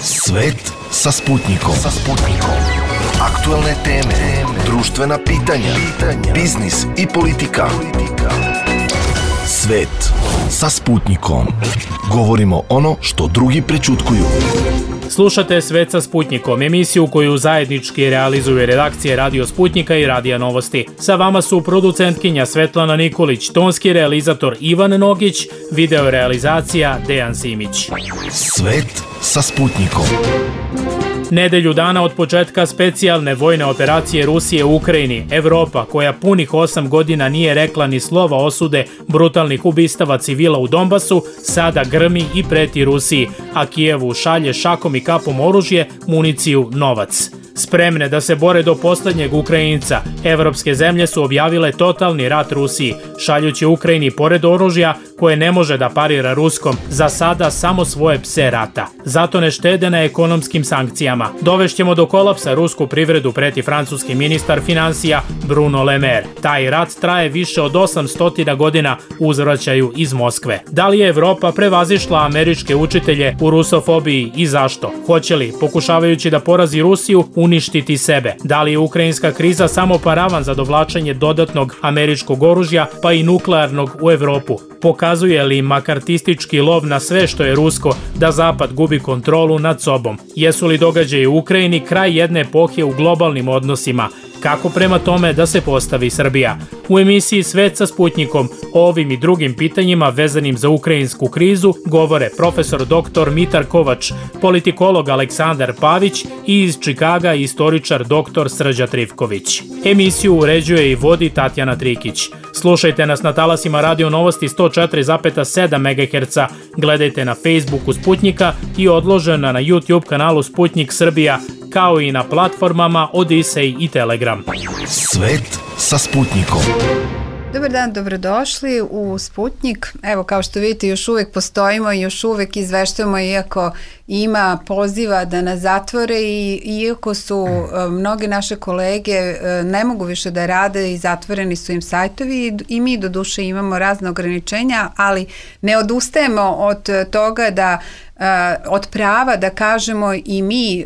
Svet sa Sputnikom. Aktualne teme, društvena pitanja, biznis i politika. Svet sa Sputnikom. Govorimo ono što drugi prećutkuju. Slušate Svet sa Sputnikom, emisiju koju zajednički realizuju redakcije Radio Sputnika i Radija Novosti. Sa vama su producentkinja Svetlana Nikolić, tonski realizator Ivan Nogić, video realizacija Dejan Simić. Svet sa Sputnikom. Nedelju dana od početka specijalne vojne operacije Rusije u Ukrajini, Evropa, koja punih 8 godina nije rekla ni slova osude brutalnih ubistava civila u Donbasu, sada grmi i preti Rusiji, a Kijevu šalje šakom i kapom oružje, municiju, novac. Spremne da se bore do poslednjeg Ukrajinca, evropske zemlje su objavile totalni rat Rusiji, šaljući Ukrajini pored oružja koje ne može da parira ruskom, za sada samo svoje pse rata. Zato ne štede na ekonomskim sankcijama. Dovešćemo do kolapsa rusku privredu, preti francuski ministar finansija Bruno Le Maire. Taj rat traje više od 800 godina, uzvraćaju iz Moskve. Da li je Evropa prevazišla američke učitelje u rusofobiji i zašto? Hoće li, pokušavajući da porazi Rusiju, uništiti sebe? Da li je ukrajinska kriza samo paravan za dovlačenje dodatnog američkog oružja, pa i nuklearnog u Evropu? Pokazuje li makartistički lov na sve što je rusko da Zapad gubi kontrolu nad sobom? Jesu li događaji u Ukrajini kraj jedne epohe u globalnim odnosima? Kako prema tome da se postavi Srbija? U emisiji Svet sa Sputnikom o ovim i drugim pitanjima vezanim za ukrajinsku krizu govore profesor dr. Mitar Kovač, politikolog Aleksandar Pavić i iz Čikaga istoričar dr. Srđa Trivković. Emisiju uređuje i vodi Tatjana Trikić. Slušajte nas na talasima Radio Novosti 104,7 MHz, gledajte na Facebooku Sputnika i odložena na YouTube kanalu Sputnik Srbija, kao i na platformama Odisej i Telegram. Svet sa Sputnikom. Dobar dan, dobrodošli u Sputnik. Evo, kao što vidite, još uvek postojimo i još uvek izveštujemo, iako ima poziva da nas zatvore i iako su mnoge naše kolege ne mogu više da rade i zatvoreni su im sajtovi i mi do duše imamo razne ograničenja, ali ne odustajemo od toga da od prava da kažemo i mi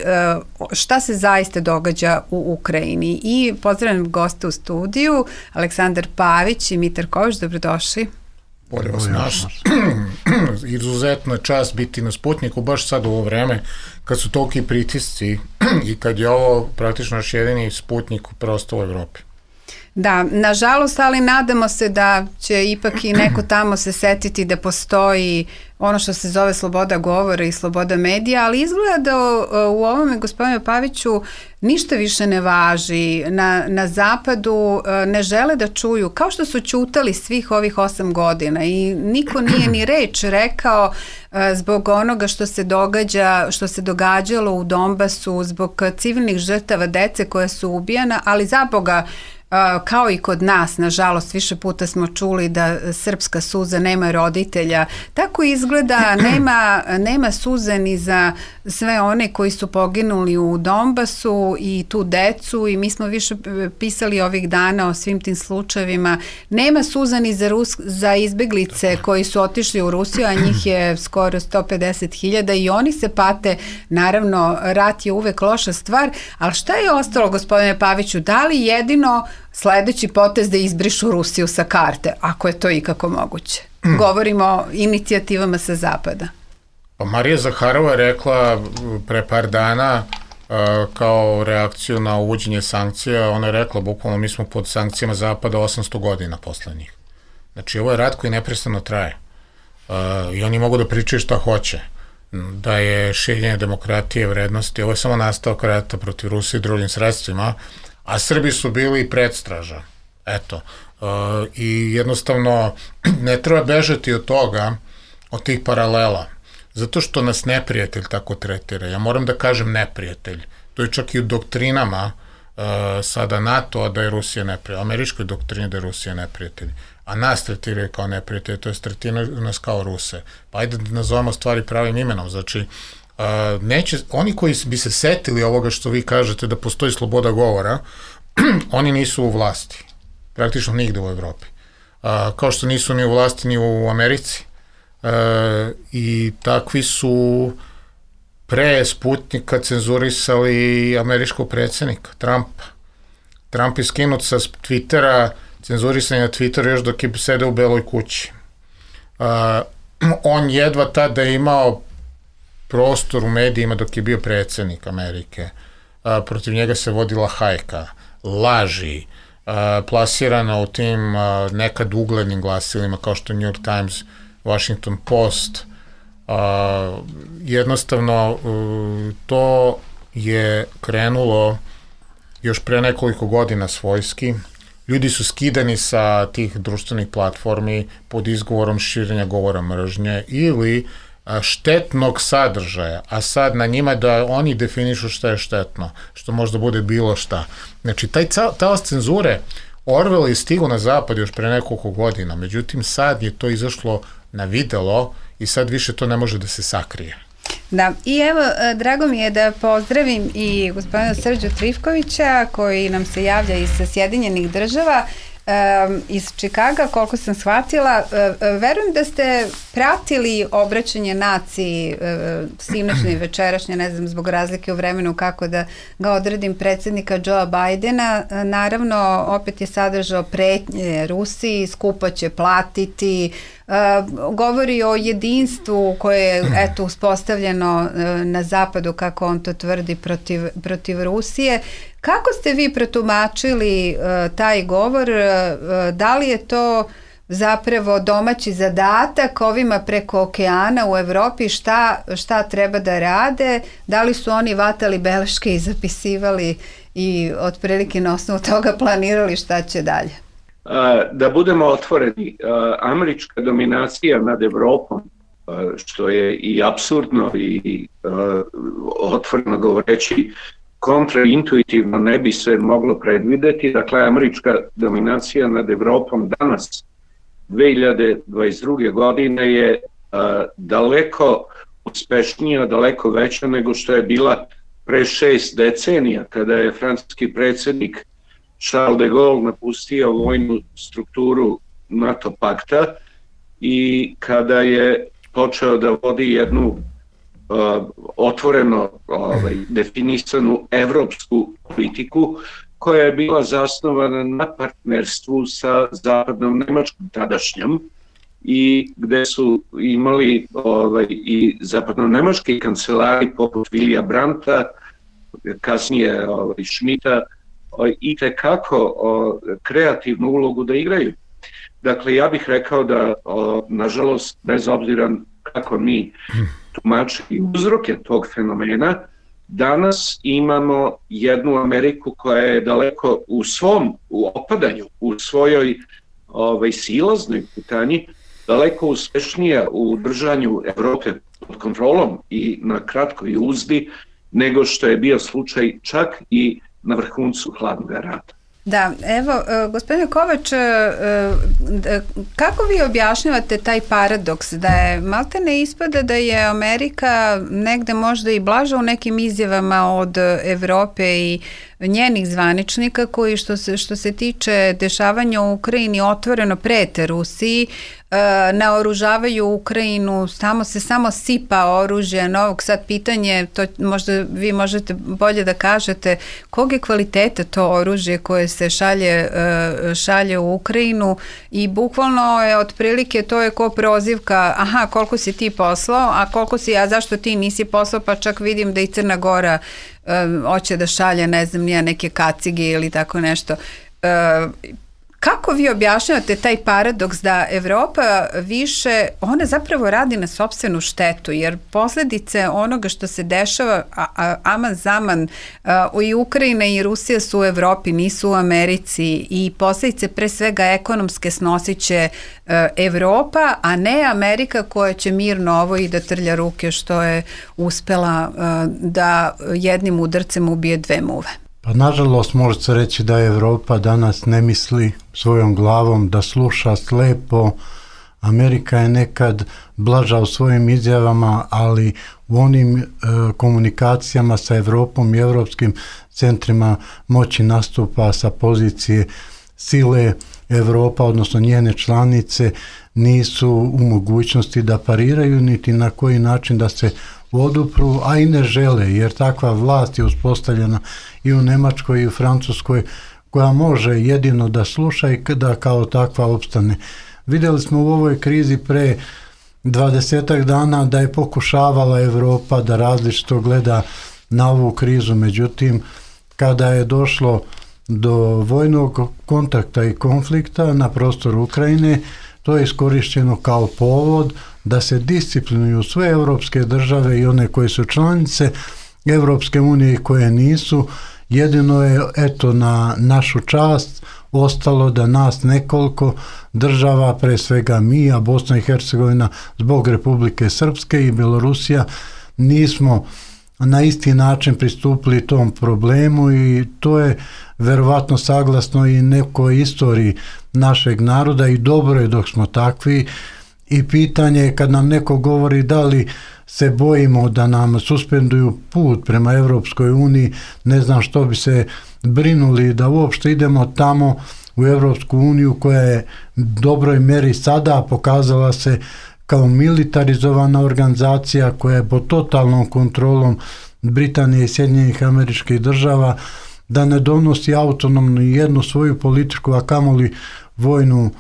šta se zaista događa u Ukrajini. I pozdravljam goste u studiju, Aleksandar Pavić i Mitar Kovač, dobrodošli. Bolje vas našli. Izuzetna čast biti na Sputniku, baš sad u ovo vreme, kad su toliki pritisci i kad je ovo praktično naš jedini Sputnik prosto u Evropi. Da, nažalost, ali nadamo se da će ipak i neko tamo se setiti da postoji ono što se zove sloboda govora i sloboda medija, ali izgleda da u ovome, gospodine Paviću, ništa više ne važi. Na zapadu ne žele da čuju, kao što su ćutali svih ovih 8 godina i niko nije ni reč rekao zbog onoga što se događa, što se događalo u Donbasu, zbog civilnih žrtava, dece koja su ubijana, ali za Boga, kao i kod nas, nažalost, više puta smo čuli da srpska suza nema roditelja. Tako izgleda, nema suze ni za sve one koji su poginuli u Donbasu i tu decu, i mi smo više pisali ovih dana o svim tim slučajevima. Nema suza ni za izbeglice koji su otišli u Rusiju, a njih je skoro 150.000 i oni se pate. Naravno, rat je uvek loša stvar, ali šta je ostalo, gospodine Paviću? Da li jedino sledeći potez da izbrišu Rusiju sa karte, ako je to ikako moguće? Govorimo o inicijativama sa zapada. Pa Marija Zaharova je rekla pre par dana kao reakciju na uvođenje sankcija, ona je rekla bukvalno mi smo pod sankcijama zapada 800 godina posle njih. Znači ovo je rat koji neprestano traje i oni mogu da pričaju šta hoće, da je šiljenje demokratije, vrednosti, ovo je samo nastavak rata protiv Rusije drugim sredstvima, a Srbi su bili predstraža. Eto. I jednostavno ne treba bežati od toga, od tih paralela, zato što nas neprijatelj tako tretira. Ja moram da kažem neprijatelj. To je čak i u doktrinama sada NATO-a da je Rusija neprijatelj, američkoj doktrini da je Rusija neprijatelj, a nas tretiraju kao neprijatelj, to je tretiraju nas kao Ruse. Pa ajde da nazovemo stvari pravim imenom, znači oni koji bi se setili ovoga što vi kažete da postoji sloboda govora, oni nisu u vlasti, praktično nigde u Evropi. Kao što nisu ni u vlasti ni u Americi. I takvi su pre Sputnika cenzurisali američkog predsjednika, Trumpa. Trump je skinut sa Twittera, cenzurisan je na Twitteru još dok je sedeo u Beloj kući. On jedva tada imao prostor u medijima dok je bio predsjednik Amerike. Protiv njega se vodila hajka, laži, plasirana u tim nekad uglednim glasilima kao što New York Times, Washington Post. Jednostavno to je krenulo još pre nekoliko godina svojski. Ljudi su skidani sa tih društvenih platformi pod izgovorom širenja govora mržnje ili štetnog sadržaja, a sad na njima da oni definišu šta je štetno, što možda bude bilo šta. Znači, taj talas cenzure Orwell je stigao na zapad još pre nekoliko godina, međutim sad je to izašlo na videlo i sad više to ne može da se sakrije. Da, i evo, drago mi je da pozdravim i gospodina Srđu Trifkovića koji nam se javlja iz Sjedinjenih Država, iz Čikaga, koliko sam shvatila. Verujem da ste pratili obraćanje naciji sinoćne i večerašnje, ne znam, zbog razlike u vremenu kako da ga odredim, predsjednika Joea Bidena. Naravno, opet je sadržao pretnje Rusiji, skupo će platiti, govori o jedinstvu koje je eto uspostavljeno na zapadu, kako on to tvrdi, protiv Rusije. Kako ste vi protumačili taj govor? Da li je to zapravo domaći zadatak ovima preko okeana u Evropi, šta treba da rade? Da li su oni vatali beleške i zapisivali i otprilike na osnovu toga planirali šta će dalje? Da budemo otvoreni, američka dominacija nad Evropom, što je i apsurdno i otvoreno govoreći kontraintuitivno ne bi se moglo predvideti. Dakle, američka dominacija nad Evropom danas, 2022. godine, je daleko uspešnija, daleko veća nego što je bila pre 6 decenija, kada je francuski predsjednik Charles de Gaulle napustio vojnu strukturu NATO pakta i kada je počeo da vodi jednu otvoreno definisanu evropsku politiku koja je bila zasnovana na partnerstvu sa zapadnom Nemačkom tadašnjom i gde su imali i zapadno-nemački kancelari poput Vilija Brandta, kasnije Schmidta, i tekako kreativnu ulogu da igraju. Dakle, ja bih rekao da, nažalost, bez obzira kako mi tumačili uzroke tog fenomena, danas imamo jednu Ameriku koja je daleko u opadanju, u svojoj silaznoj putanji, daleko uspešnija u držanju Evrope pod kontrolom i na kratkoj uzdi nego što je bio slučaj čak i na vrhuncu hladnog rata. Da, evo, gospodine Kovač, kako vi objašnjavate taj paradoks da je maltene ispada da je Amerika negde možda i blaža u nekim izjavama od Evrope i njenih zvaničnika koji što se tiče dešavanja u Ukrajini otvoreno prete Rusiji, naoružavaju Ukrajinu, samo sipa oružje novog. Sad pitanje, to možda vi možete bolje da kažete, kog je kvaliteta to oružje koje se šalje u Ukrajinu i bukvalno je otprilike to je ko prozivka, aha, koliko si ti poslao, a koliko si, a zašto ti nisi poslao, pa čak vidim da i Crna Gora hoće da šalje, ne znam, neke kacige ili tako nešto. Kako vi objašnjavate taj paradoks da Evropa više, ona zapravo radi na sopstvenu štetu, jer posljedice onoga što se dešava, aman zaman, i Ukrajina i Rusija su u Evropi, nisu u Americi, i posljedice pre svega ekonomske snosit će Evropa, a ne Amerika koja će mirno ovo i da trlja ruke što je uspela da jednim udarcem ubije 2 muve. Pa nažalost može se reći da Evropa danas ne misli svojom glavom, da sluša slepo. Amerika je nekad blaža u svojim izjavama, ali u onim komunikacijama sa Evropom i evropskim centrima moći nastupa sa pozicije sile Evropa, odnosno njene članice, nisu u mogućnosti da pariraju niti na koji način da se odupru, a i ne žele, jer takva vlast je uspostavljena i u Nemačkoj i u Francuskoj, koja može jedino da sluša i da kao takva opstane. Vidjeli smo u ovoj krizi pre 20 dana da je pokušavala Evropa da različito gleda na ovu krizu, međutim, kada je došlo do vojnog kontakta i konflikta na prostoru Ukrajine, to je iskorišteno kao povod da se disciplinuju sve evropske države i one koje su članice Evropske unije i koje nisu. Jedino je, eto, na našu čast ostalo da nas nekoliko država, pre svega mi, a Bosna i Hercegovina zbog Republike Srpske i Belorusija, nismo na isti način pristupili tom problemu i to je verovatno saglasno i nekoj istoriji našeg naroda i dobro je dok smo takvi. I pitanje je kad nam neko govori da li se bojimo da nam suspenduju put prema Evropskoj uniji, ne znam što bi se brinuli da uopšte idemo tamo u Evropsku uniju koja je dobroj meri sada pokazala se kao militarizovana organizacija koja je pod totalnom kontrolom Britanije i Sjedinjenih Američkih Država, da ne donosi autonomno jednu svoju političku, a kamoli vojnu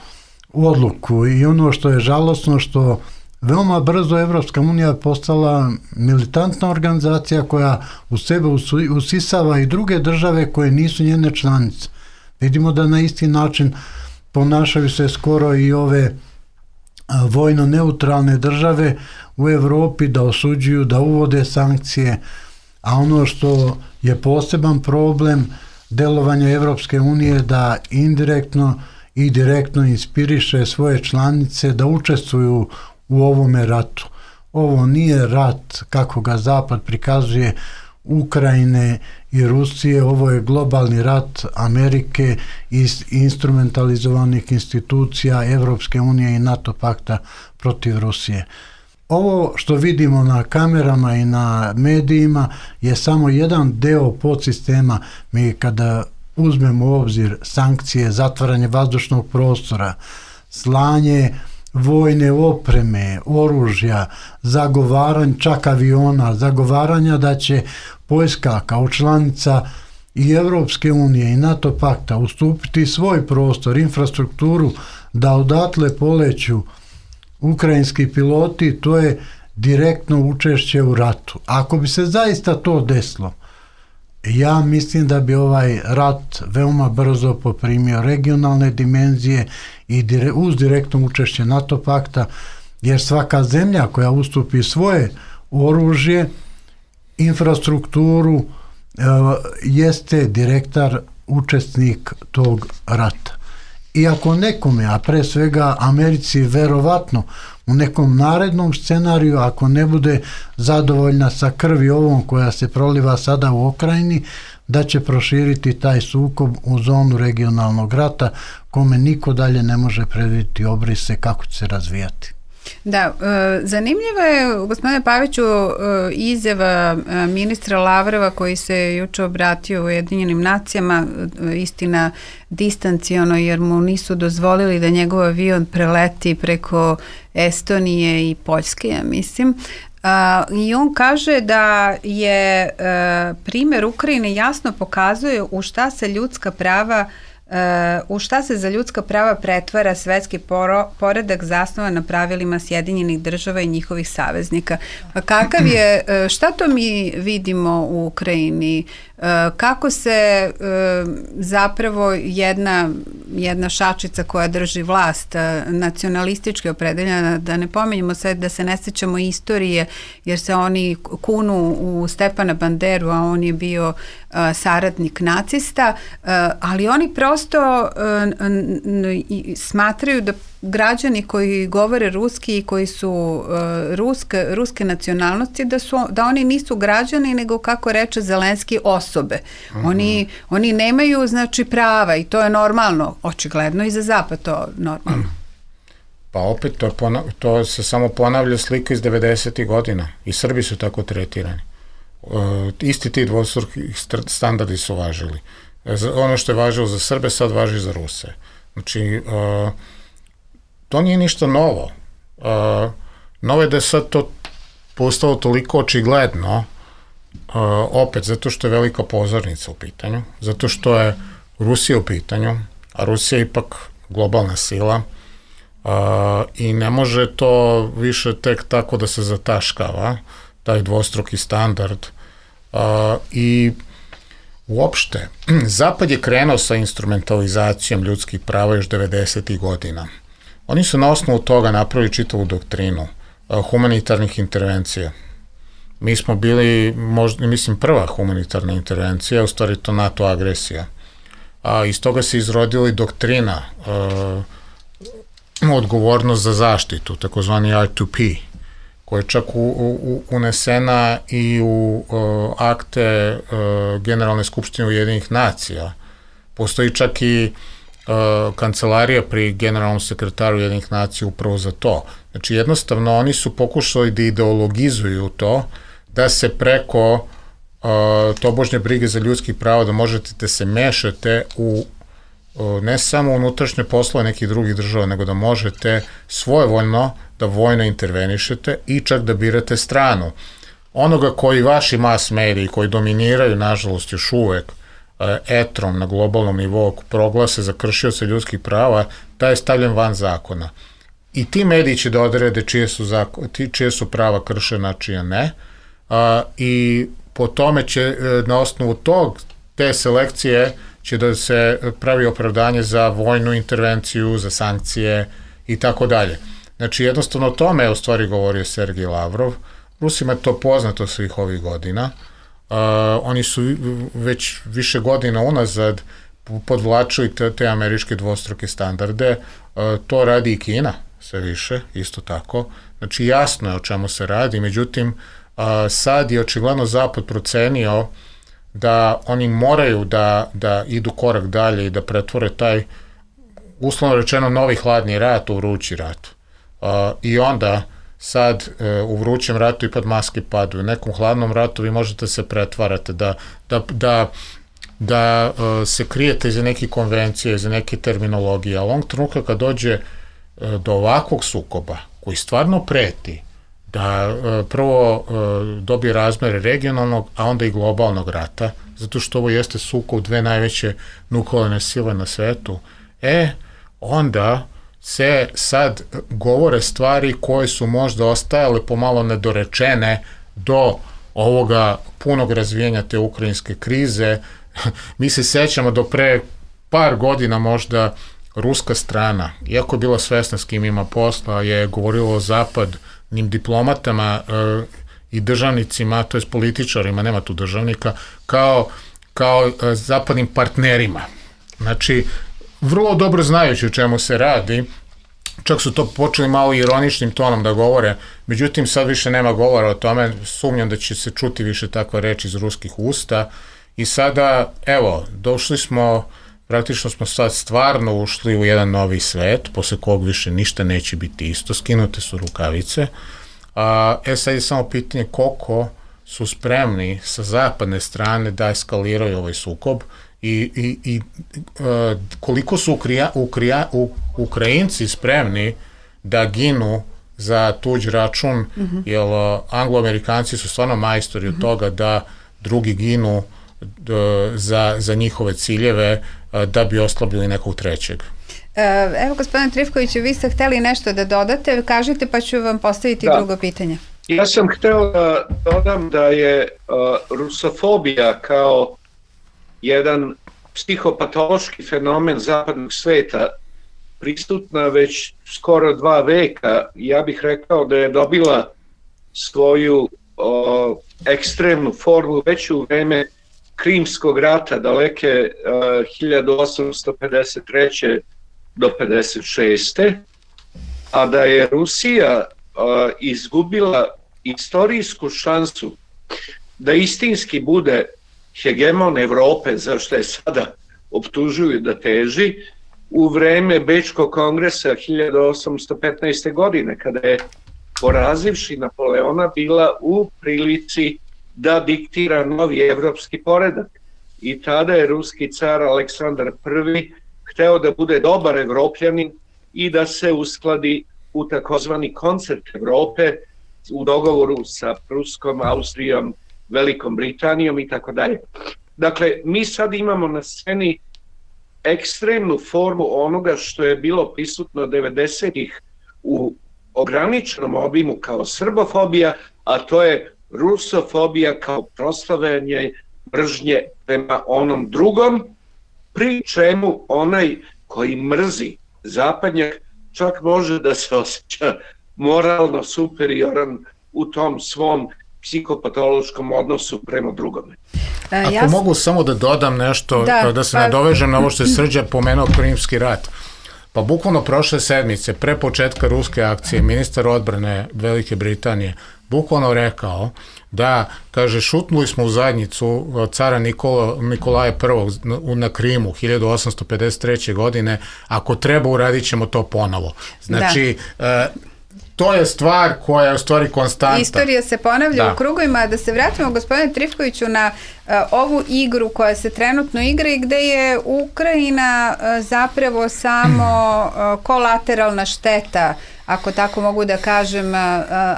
odluku. I ono što je žalosno, što veoma brzo Evropska unija postala militantna organizacija koja u sebe usisava i druge države koje nisu njene članice. Vidimo da na isti način ponašaju se skoro i ove vojno neutralne države u Evropi, da osuđuju, da uvode sankcije, a ono što je poseban problem delovanja Evropske unije da indirektno i direktno inspiriše svoje članice da učestvuju u ovome ratu. Ovo nije rat kako ga Zapad prikazuje Ukrajine i Rusije, ovo je globalni rat Amerike i instrumentalizovanih institucija Evropske unije i NATO pakta protiv Rusije. Ovo što vidimo na kamerama i na medijima je samo jedan deo podsistema. Mi kada uzmemo u obzir sankcije, zatvaranje vazdušnog prostora, slanje vojne opreme, oružja, zagovaranje čak aviona, zagovaranja da će Poljska kao članica i Evropske unije i NATO pakta ustupiti svoj prostor, infrastrukturu, da odatle poleću ukrajinski piloti, to je direktno učešće u ratu. Ako bi se zaista to desilo, ja mislim da bi ovaj rat veoma brzo poprimio regionalne dimenzije i uz direktno učešće NATO pakta, jer svaka zemlja koja ustupi svoje oružje, infrastrukturu, jeste direktar učesnik tog rata. I ako nekome, a pre svega Americi, verovatno u nekom narednom scenariju, ako ne bude zadovoljna sa krvi ovom koja se proliva sada u Ukrajini, da će proširiti taj sukob u zonu regionalnog rata, kome niko dalje ne može predvidjeti obrise kako će se razvijati. Da, zanimljiva je, gospodine Paviću, izjava ministra Lavrova koji se juče obratio Ujedinjenim nacijama, istina distanciono, jer mu nisu dozvolili da njegov avion preleti preko Estonije i Poljske, ja mislim. I on kaže da je primjer Ukrajine jasno pokazuje u šta se za ljudska prava pretvara svetski poredak zasnovan na pravilima Sjedinjenih Država i njihovih saveznika. Kakav je, šta to mi vidimo u Ukrajini? Kako se zapravo jedna šačica koja drži vlast, nacionalistički opredeljena, da ne pominjemo sad, da se ne sećamo istorije, jer se oni kunu u Stepana Banderu, a on je bio saradnik nacista, ali oni prosto smatraju da građani koji govore ruski i koji su ruske nacionalnosti, da oni nisu građani, nego, kako reče Zelenski, osobe. Oni nemaju, znači, prava i to je normalno, očigledno i za Zapad to normalno. Pa opet to se samo ponavlja slika iz 90. godina i Srbi su tako tretirani. Isti ti dvostruki standardi su važili. Ono što je važilo za Srbe sad važi za Ruse. Znači, to nije ništa novo. Novo je da je sad to postalo toliko očigledno, opet zato što je velika pozornica u pitanju, zato što je Rusija u pitanju, a Rusija je ipak globalna sila i ne može to više tek tako da se zataškava, taj dvostruki standard. I uopšte, Zapad je krenuo sa instrumentalizacijom ljudskih prava još 90. godina. Oni su na osnovu toga napravili čitavu doktrinu humanitarnih intervencija. Mi smo bili, mislim, prva humanitarna intervencija, u stvari to NATO agresija. Iz toga se izrodila i doktrina odgovornost za zaštitu, takozvani R2P, koja je čak unesena i u akte Generalne skupštine Ujedinjenih nacija. Postoji čak i kancelarija pri generalnom sekretaru Ujedinjenih nacija upravo za to. Znači, jednostavno, oni su pokušali da ideologizuju to, da se preko tobožnje brige za ljudskih prava, da možete da se mešate u ne samo unutrašnje poslove nekih drugih država, nego da možete svojevoljno da vojno intervenišete i čak da birate stranu. Onoga koji vaši mass mediji, koji dominiraju, nažalost, još uvek etrom na globalnom nivou, proglase za kršioce ljudskih prava, taj je stavljen van zakona. I ti mediji će da odrede čije su prava kršena, čije ne, i po tome će na osnovu te selekcije će da se pravi opravdanje za vojnu intervenciju, za sankcije i tako dalje. Znači, jednostavno o tome je u stvari govorio Sergej Lavrov. Rusima je to poznato svih ovih godina. Oni su već više godina unazad podvlačili te američke dvostruke standarde. To radi i Kina sve više, isto tako. Znači, jasno je o čemu se radi, međutim, sad je očigledno Zapad procenio da oni moraju da idu korak dalje i da pretvore taj, uslovno rečeno, novi hladni rat u vrući rat. I onda sad u vrućem ratu i pod maske padaju. U nekom hladnom ratu vi možete se pretvarate, da se krijete iza nekih konvencija, iza neke terminologije, ali onog trenutka kad dođe do ovakvog sukoba koji stvarno preti, da prvo dobije razmere regionalnog, a onda i globalnog rata, zato što ovo jeste sukob dve najveće nuklearne sile na svetu, onda se sad govore stvari koje su možda ostajale pomalo nedorečene do ovoga punog razvijenja te ukrajinske krize. Mi se sećamo do pre par godina možda ruska strana, iako je bila svesna s kim ima posla, je govorilo o zapadnim diplomatama i državnicima, to je političarima, nema tu državnika, kao zapadnim partnerima. Znači, vrlo dobro znajući o čemu se radi, čak su to počeli malo ironičnim tonom da govore, međutim sad više nema govora o tome, sumnjam da će se čuti više takva reč iz ruskih usta i sada, evo, došli smo, praktično smo sad stvarno ušli u jedan novi svet, posle kog više ništa neće biti isto, skinute su rukavice, sad je samo pitanje koliko su spremni sa zapadne strane da eskaliraju ovaj sukob i koliko su Ukrajinci spremni da ginu za tuđ račun, jer Anglo-Amerikanci su stvarno majstori od toga da drugi ginu za njihove ciljeve da bi oslabili nekog trećeg. Evo, gospodine Trifkoviću, vi ste hteli nešto da dodate, kažite pa ću vam postaviti drugo pitanje. Ja sam hteo da dodam da je rusofobija kao jedan psihopatološki fenomen zapadnog sveta prisutna već skoro 2 veka. Ja bih rekao da je dobila svoju ekstremnu formu već u vreme Krimskog rata daleke 1853. do 56. a da je Rusija izgubila istorijsku šansu da istinski bude hegemon Evrope, za što je sada optužuju da teži, u vreme Bečkog kongresa 1815. godine, kada je, porazivši Napoleona, bila u prilici da diktira novi evropski poredak. I tada je ruski car Aleksandar I hteo da bude dobar Evropljanin i da se uskladi u takozvani koncert Evrope u dogovoru sa Pruskom, Austrijom, Velikom Britanijom i tako dalje. Dakle, mi sad imamo na sceni ekstremnu formu onoga što je bilo prisutno 90-ih u ograničenom obimu kao srbofobija, a to je rusofobija kao proslavljanje mržnje prema onom drugom, pri čemu onaj koji mrzi zapadnjak čak može da se osjeća moralno superioran u tom svom psihopatološkom odnosu prema drugome. Ako mogu samo da dodam nešto, da se nadovežem na ovo što je Srđan pomenuo Krimski rat. Pa bukvalno prošle sedmice, pre početka ruske akcije, ministar odbrane Velike Britanije bukvalno rekao da, kaže, šutnuli smo u zadnjicu cara Nikolaja I na Krimu 1853. godine, ako treba uradit ćemo to ponovo. Znači, to je stvar koja je u stvari konstanta. Istorija se ponavlja u krugovima. Da se vratimo, gospodine Trifkoviću, na ovu igru koja se trenutno igra i gde je Ukrajina zapravo samo kolateralna šteta, ako tako mogu da kažem,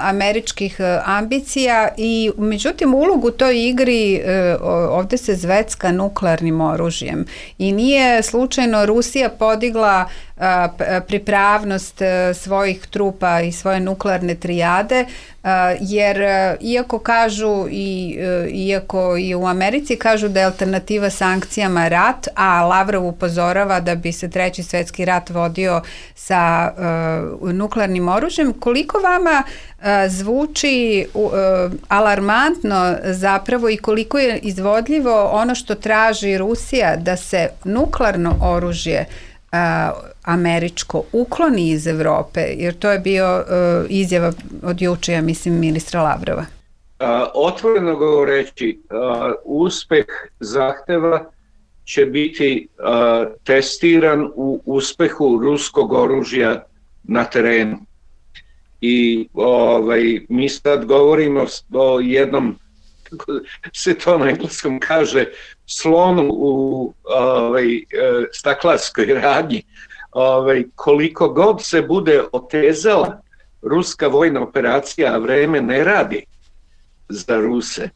američkih ambicija i međutim ulogu toj igri ovde se zvecka nuklearnim oružjem i nije slučajno Rusija podigla pripravnost svojih trupa i svoje nuklearne trijade, jer iako kažu iako i u Americi kažu da je alternativa sankcijama rat, a Lavrov upozorava da bi se Treći svetski rat vodio sa nuklearnim oružjem, koliko vama zvuči alarmantno zapravo i koliko je izvodljivo ono što traži Rusija da se nuklearno oružje američko ukloni iz Evrope, jer to je bio izjava od juče, ja mislim, ministra Lavrova. Otvoreno govoreći, uspeh zahteva će biti testiran u uspehu ruskog oružja na terenu. I mi sad govorimo o jednom, kako se to na engleskom kaže, slonu u staklarskoj radnji. Koliko god se bude otezala ruska vojna operacija, a vreme ne radi za Ruse,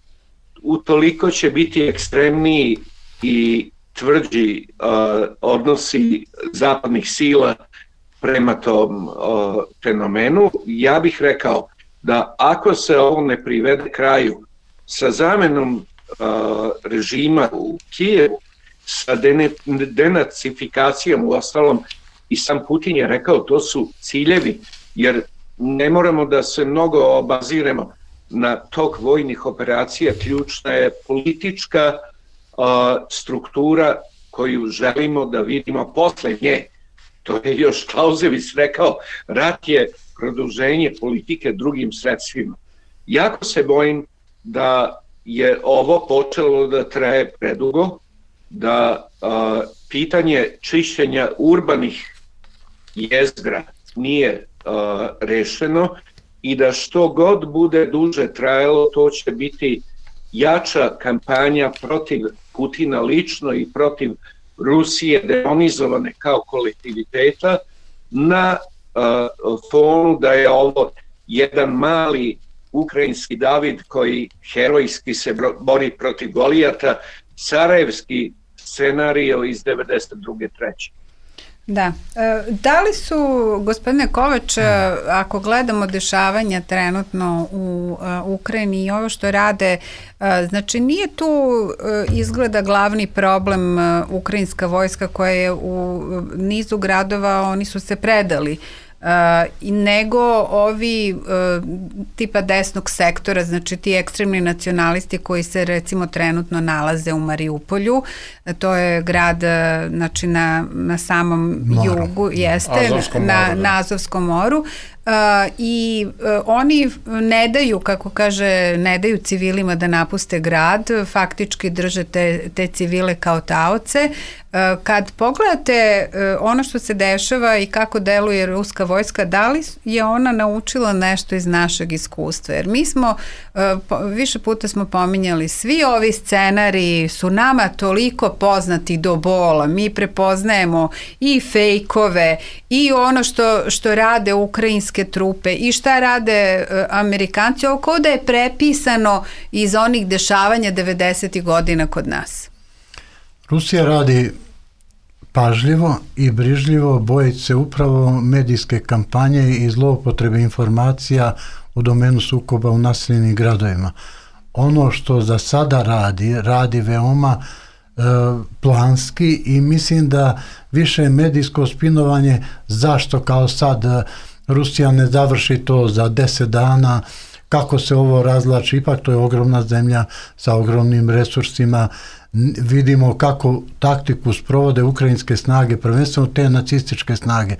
utoliko će biti ekstremniji i tvrđi odnosi zapadnih sila prema tom fenomenu. Ja bih rekao da ako se ovo ne privede kraju sa zamenom režima u Kijevu, sa denacifikacijom, u ostalom i sam Putin je rekao to su ciljevi, jer ne moramo da se mnogo obaziremo na tok vojnih operacija, ključna je politička struktura koju želimo da vidimo posle nje. To je još Clausewitz rekao, rat je produženje politike drugim sredstvima. Jako se bojim da je ovo počelo da traje predugo, da pitanje čišćenja urbanih jezgra nije rešeno i da što god bude duže trajalo, to će biti jača kampanja protiv Putina lično i protiv Rusije demonizovane kao kolektiviteta na fonu da je ovo jedan mali ukrajinski David koji herojski se bori protiv Golijata, sarajevski scenario iz 92. treće. Da. Da li su, gospodine Kovač, ako gledamo dešavanja trenutno u Ukrajini i ovo što rade, znači nije tu izgleda glavni problem ukrajinska vojska koja je u nizu gradova, oni su se predali, nego ovi tipa desnog sektora, znači ti ekstremni nacionalisti koji se recimo trenutno nalaze u Mariupolju, to je grad znači na samom jugu, jeste, na Azovskom moru, i oni ne daju, kako kaže, ne daju civilima da napuste grad, faktički drže te civile kao taoce, Kad pogledate ono što se dešava i kako deluje ruska vojska, da li je ona naučila nešto iz našeg iskustva? Jer mi smo, više puta smo pominjali, svi ovi scenariji su nama toliko poznati do bola. Mi prepoznajemo i fejkove i ono što rade ukrajinske trupe i šta rade Amerikanci. Ovo kao da je prepisano iz onih dešavanja 90. godina kod nas. Rusija radi pažljivo i brižljivo, bojeći se upravo medijske kampanje i zloupotrebe informacija u domenu sukoba u naseljenim gradovima. Ono što za sada radi veoma planski i mislim da više medijsko spinovanje zašto kao sad Rusija ne završi to za 10 dana, kako se ovo razlači, ipak to je ogromna zemlja sa ogromnim resursima. Vidimo kako taktiku sprovode ukrajinske snage, prvenstveno te nacističke snage,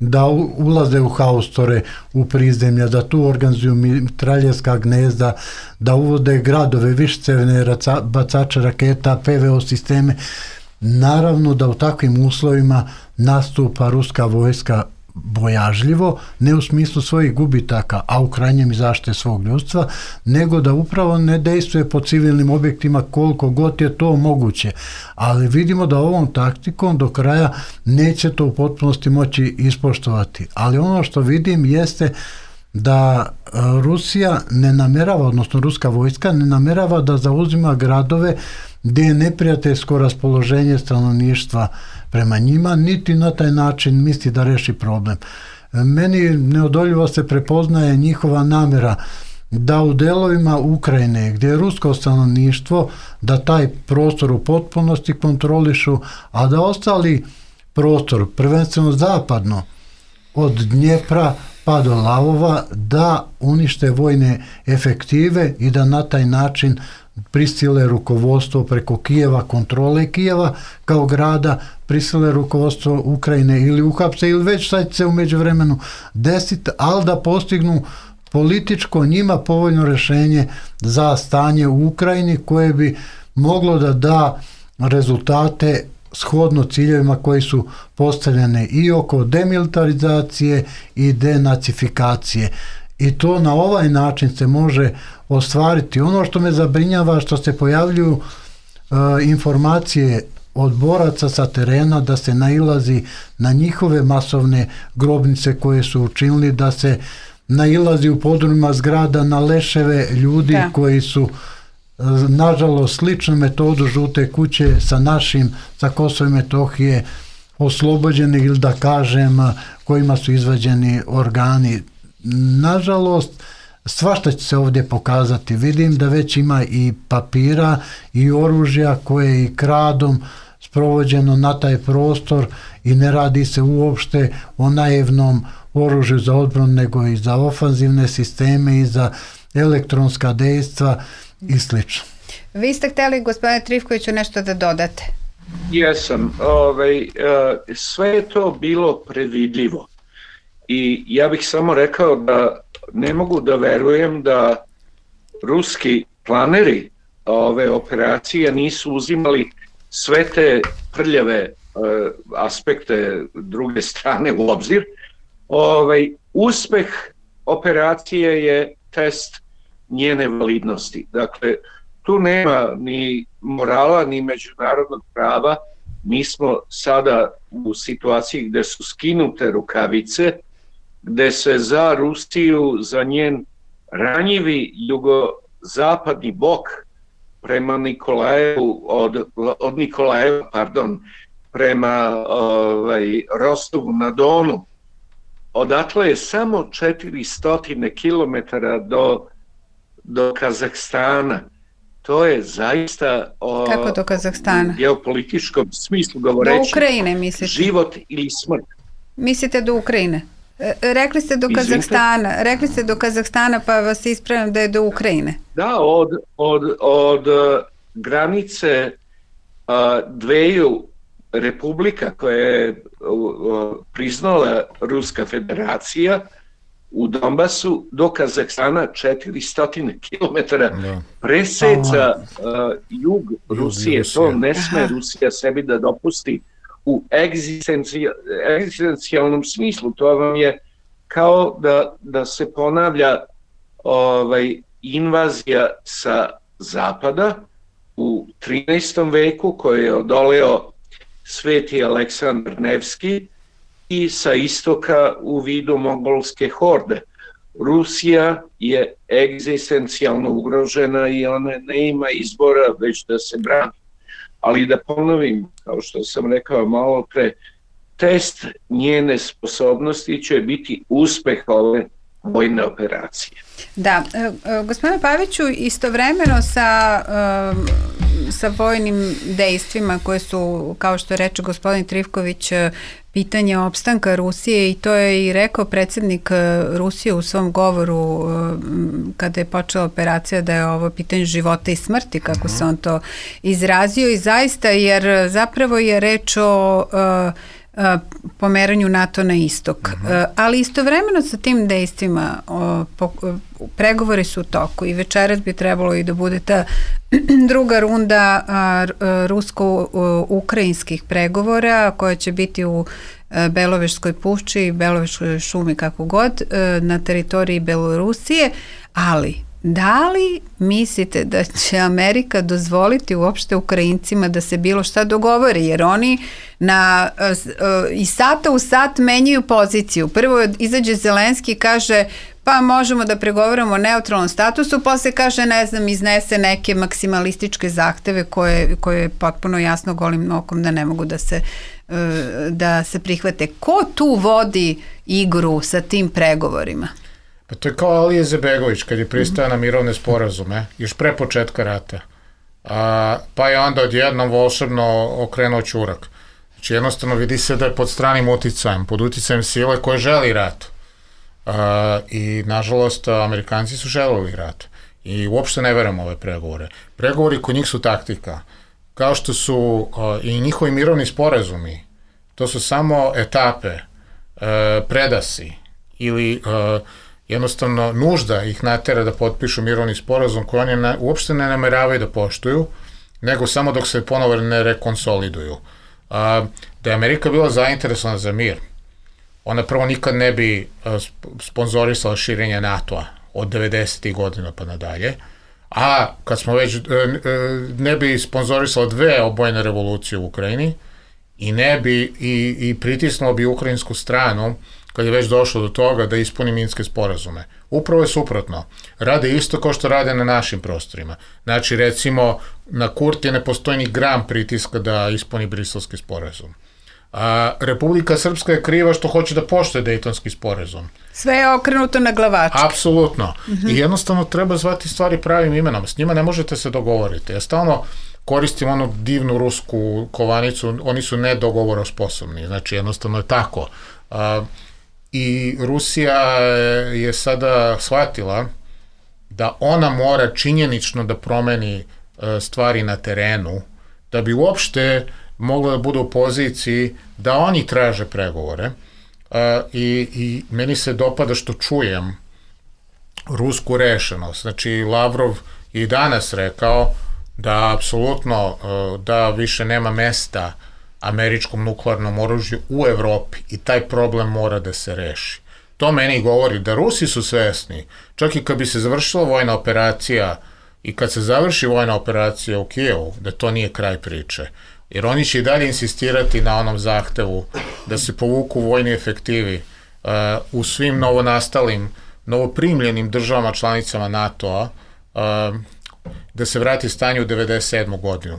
da ulaze u haustore, u prizemlja, da tu organizuju mitraljevska gnezda, da uvode gradove, višecevne bacače raketa, PVO sisteme. Naravno da u takvim uslovima nastupa ruska vojska bojažljivo, ne u smislu svojih gubitaka, a u krajnjem i zaštite svog ljudstva, nego da upravo ne dejstvuje po civilnim objektima koliko god je to moguće. Ali vidimo da ovom taktikom do kraja neće to u potpunosti moći ispoštovati. Ali ono što vidim jeste da Rusija ne namerava, odnosno ruska vojska ne namerava da zauzima gradove gdje je neprijateljsko raspoloženje stanovništva prema njima, niti na taj način misli da reši problem. Meni neodoljivo se prepoznaje njihova namjera da u delovima Ukrajine gdje je rusko stanovništvo, da taj prostor u potpunosti kontrolišu, a da ostali prostor, prvenstveno zapadno, od Dnjepra pa do Lavova, da unište vojne efektive i da na taj način prisile rukovodstvo preko Kijeva, kontrole Kijeva kao grada, prisile rukovodstvo Ukrajine ili uhapse ili već sad se u međuvremenu desiti, ali da postignu političko njima povoljno rješenje za stanje u Ukrajini koje bi moglo da da rezultate shodno ciljevima koji su postavljene i oko demilitarizacije i denacifikacije. I to na ovaj način se može ostvariti. Ono što me zabrinjava, što se pojavljuju informacije od boraca sa terena da se nailazi na njihove masovne grobnice koje su učinili, da se nailazi u podrumima zgrada na leševe ljudi koji su nažalost sličnu metodu žute kuće sa našim, sa Kosova i Metohije oslobođeni ili da kažem kojima su izvađeni organi. Nažalost, svašta će se ovdje pokazati. Vidim da već ima i papira i oružja koje je i kradom sprovođeno na taj prostor i ne radi se uopšte o naivnom oružju za odbranu, nego i za ofanzivne sisteme i za elektronska dejstva i slično. Vi ste htjeli, gospodine Trifkoviću, nešto da dodate? Jesam. Sve je to bilo predvidljivo. I ja bih samo rekao da ne mogu da verujem da ruski planeri ove operacije nisu uzimali sve te prljave aspekte druge strane u obzir. Uspeh operacije je test njene validnosti. Dakle, tu nema ni morala, ni međunarodnog prava. Mi smo sada u situaciji gdje su skinute rukavice, gdje se za Rusiju, za njen ranjivi jugozapadni bok prema Nikolajevu, od Nikolajeva, prema Rostovu na Donu, odatle je samo 400 km do Kazahstana. To je zaista kako do Kazahstana? U geopolitičkom smislu govoreći. Do Ukrajine mislite? Život ili smrt. Mislite do Ukrajine? Rekli ste do Kazahstana. Rekli ste do Kazahstana, pa vas ispravljam da je do Ukrajine. Da, od granice dveju republika koje je priznala Ruska federacija u Donbasu do Kazahstana 400 km preseca jug Rusije. To ne sme Rusija sebi da dopusti u egzistencijalnom smislu. To vam je kao da se ponavlja invazija sa zapada u 13. veku koju je odoleo Sveti Aleksandar Nevski i sa istoka u vidu mongolske horde. Rusija je egzistencijalno ugrožena i ona ne ima izbora već da se brani. Ali da ponovim, kao što sam rekao malo pre, test njene sposobnosti će biti uspeh ove vojne operacije. Da, gospodine Paviću, istovremeno sa vojnim dejstvima koje su, kao što reče gospodin Trifković, pitanje opstanka Rusije, i to je i rekao predsjednik Rusije u svom govoru kada je počela operacija, da je ovo pitanje života i smrti, kako se on to izrazio, i zaista, jer zapravo je reč o pomeranju NATO na istok. Ali istovremeno sa tim dejstvima pregovori su u toku i večeras bi trebalo i da bude ta druga runda rusko-ukrajinskih pregovora koja će biti u Beloveškoj pušči i Beloveškoj šumi, kako god, na teritoriji Belorusije, ali da li mislite da će Amerika dozvoliti uopšte Ukrajincima da se bilo šta dogovori, jer oni iz sata u sat menjaju poziciju. Prvo izađe Zelenski i kaže pa možemo da pregovaramo o neutralnom statusu, posle kaže, ne znam, iznese neke maksimalističke zahteve koje je potpuno jasno golim okom da ne mogu da se prihvate. Ko tu vodi igru sa tim pregovorima? Pa to je kao Alija Izetbegović kad je pristao na mirovne sporazume, još pre početka rata. Pa je onda odjednom volšebno okrenuo ćurak. Znači jednostavno vidi se da je pod stranim uticajem, pod uticajem sile koje želi rat. I nažalost Amerikanci su želeli rat. I uopšte ne verujem ove pregovore. Pregovori kod njih su taktika. Kao što su i njihovi mirovni sporazumi, to su samo etape, predasi ili jednostavno nužda ih natera da potpišu mirovni sporazum koji oni uopšte ne nameravaju da poštuju, nego samo dok se ponovo ne rekonsoliduju. Da je Amerika bila zainteresovana za mir, ona prvo nikad ne bi sponzorisala širenje NATO-a od 90. godina pa nadalje, a kad smo već ne bi sponzorisala dve obojene revolucije u Ukrajini i ne bi i pritisnulo bi ukrajinsku stranu kad je već došlo do toga da ispuni minske sporazume. Upravo je suprotno. Rade isto kao što rade na našim prostorima. Znači, recimo, na Kurtije ne postoji ni gram pritiska da ispuni briselski sporazum. Republika Srpska je kriva što hoće da poštuje Dejtonski sporazum. Sve je okrenuto na glavačke. Apsolutno. I jednostavno treba zvati stvari pravim imenom. S njima ne možete se dogovoriti. Ja stalno koristim onu divnu rusku kovanicu, oni su nedogovorosposobni. Znači, jednostavno je tako. I Rusija je sada shvatila da ona mora činjenično da promeni stvari na terenu, da bi uopšte mogla da bude u poziciji da oni traže pregovore. I meni se dopada što čujem rusku rešenost. Znači, Lavrov i danas rekao da apsolutno da više nema mesta američkom nuklearnom oružju u Evropi i taj problem mora da se reši. To meni govori da Rusi su svesni, čak i kad bi se završila vojna operacija i kad se završi vojna operacija u Kijevu, da to nije kraj priče. Jer oni će i dalje insistirati na onom zahtevu da se povuku vojni efektivi u svim novonastalim, novoprimljenim državama članicama NATO-a, da se vrati stanje u 1997. godinu.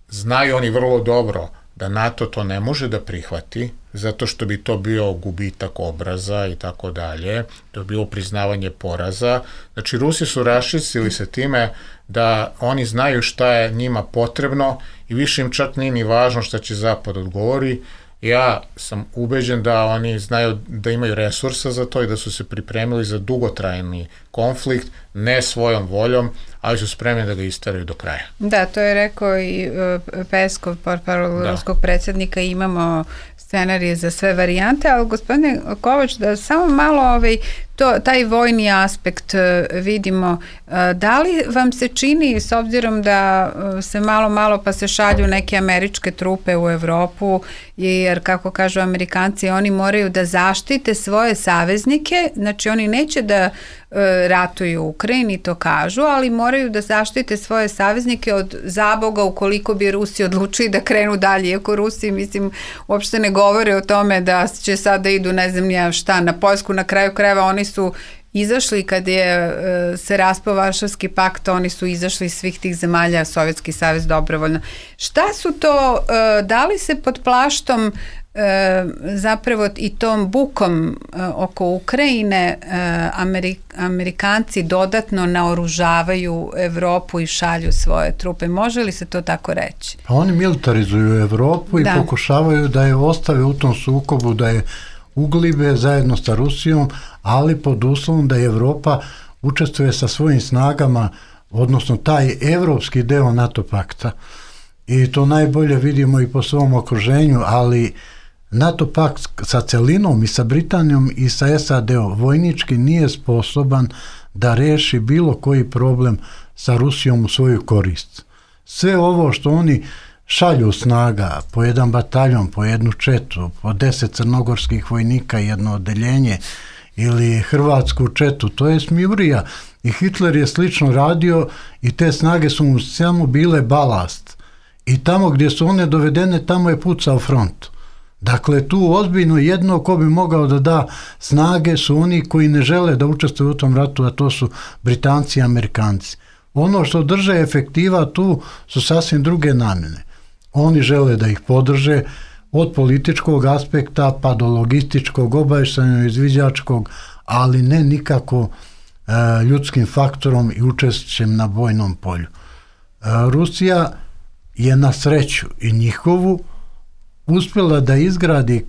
Znaju oni vrlo dobro da NATO to ne može da prihvati, zato što bi to bio gubitak obraza i tako dalje, to bi bilo priznavanje poraza. Znači, Rusi su raščistili se time da oni znaju šta je njima potrebno i više im čak nije ni važno šta će Zapad odgovori. Ja sam ubeđen da oni znaju da imaju resursa za to i da su se pripremili za dugotrajni konflikt, ne svojom voljom, ali su spremni da ga istaraju do kraja. Da, to je rekao i Peskov, portparol ruskog predsjednika, imamo scenarije za sve varijante, ali gospodine Kovač, da samo malo taj vojni aspekt vidimo. Da li vam se čini, s obzirom da se malo pa se šalju neke američke trupe u Evropu, jer kako kažu Amerikanci, oni moraju da zaštite svoje saveznike, znači oni neće da ratuju u Ukrajini, to kažu, ali moraju da zaštite svoje saveznike od zaboga ukoliko bi Rusi odlučili da krenu dalje, iako Rusi, mislim, uopšte ne govore o tome da će sad da idu, ne znam ja šta, na Poljsku, na kraju krajeva oni su izašli kad je se raspao Varšavski pakt, oni su izašli iz svih tih zemalja, Sovjetski savez dobrovoljno. Šta su to, da li se pod plaštom zapravo i tom bukom oko Ukrajine Amerikanci dodatno naoružavaju Evropu i šalju svoje trupe? Može li se to tako reći? Pa oni militarizuju Evropu i pokušavaju da je ostave u tom sukobu, da je uglibe zajedno sa Rusijom, ali pod uslovom da Evropa učestvuje sa svojim snagama, odnosno taj evropski deo NATO pakta. I to najbolje vidimo i po svom okruženju, ali NATO pakt sa celinom i sa Britanijom i sa SAD-om vojnički nije sposoban da reši bilo koji problem sa Rusijom u svoju korist. Sve ovo što oni šalju snaga, po jedan bataljon, po jednu četu, po 10 crnogorskih vojnika, jedno odeljenje, ili hrvatsku četu, to je smijurija. I Hitler je slično radio i te snage su mu samo bile balast. I tamo gdje su one dovedene, tamo je pucao front. Dakle, tu ozbiljno jedno ko bi mogao da da snage su oni koji ne žele da učestvuju u tom ratu, a to su Britanci i Amerikanci. Ono što drže efektiva tu su sasvim druge namjene. Oni žele da ih podrže od političkog aspekta pa do logističkog, obavještajnog, izviđačkog, ali ne nikako ljudskim faktorom i učešćem na bojnom polju. Rusija je na sreću i njihovu uspjela da izgradi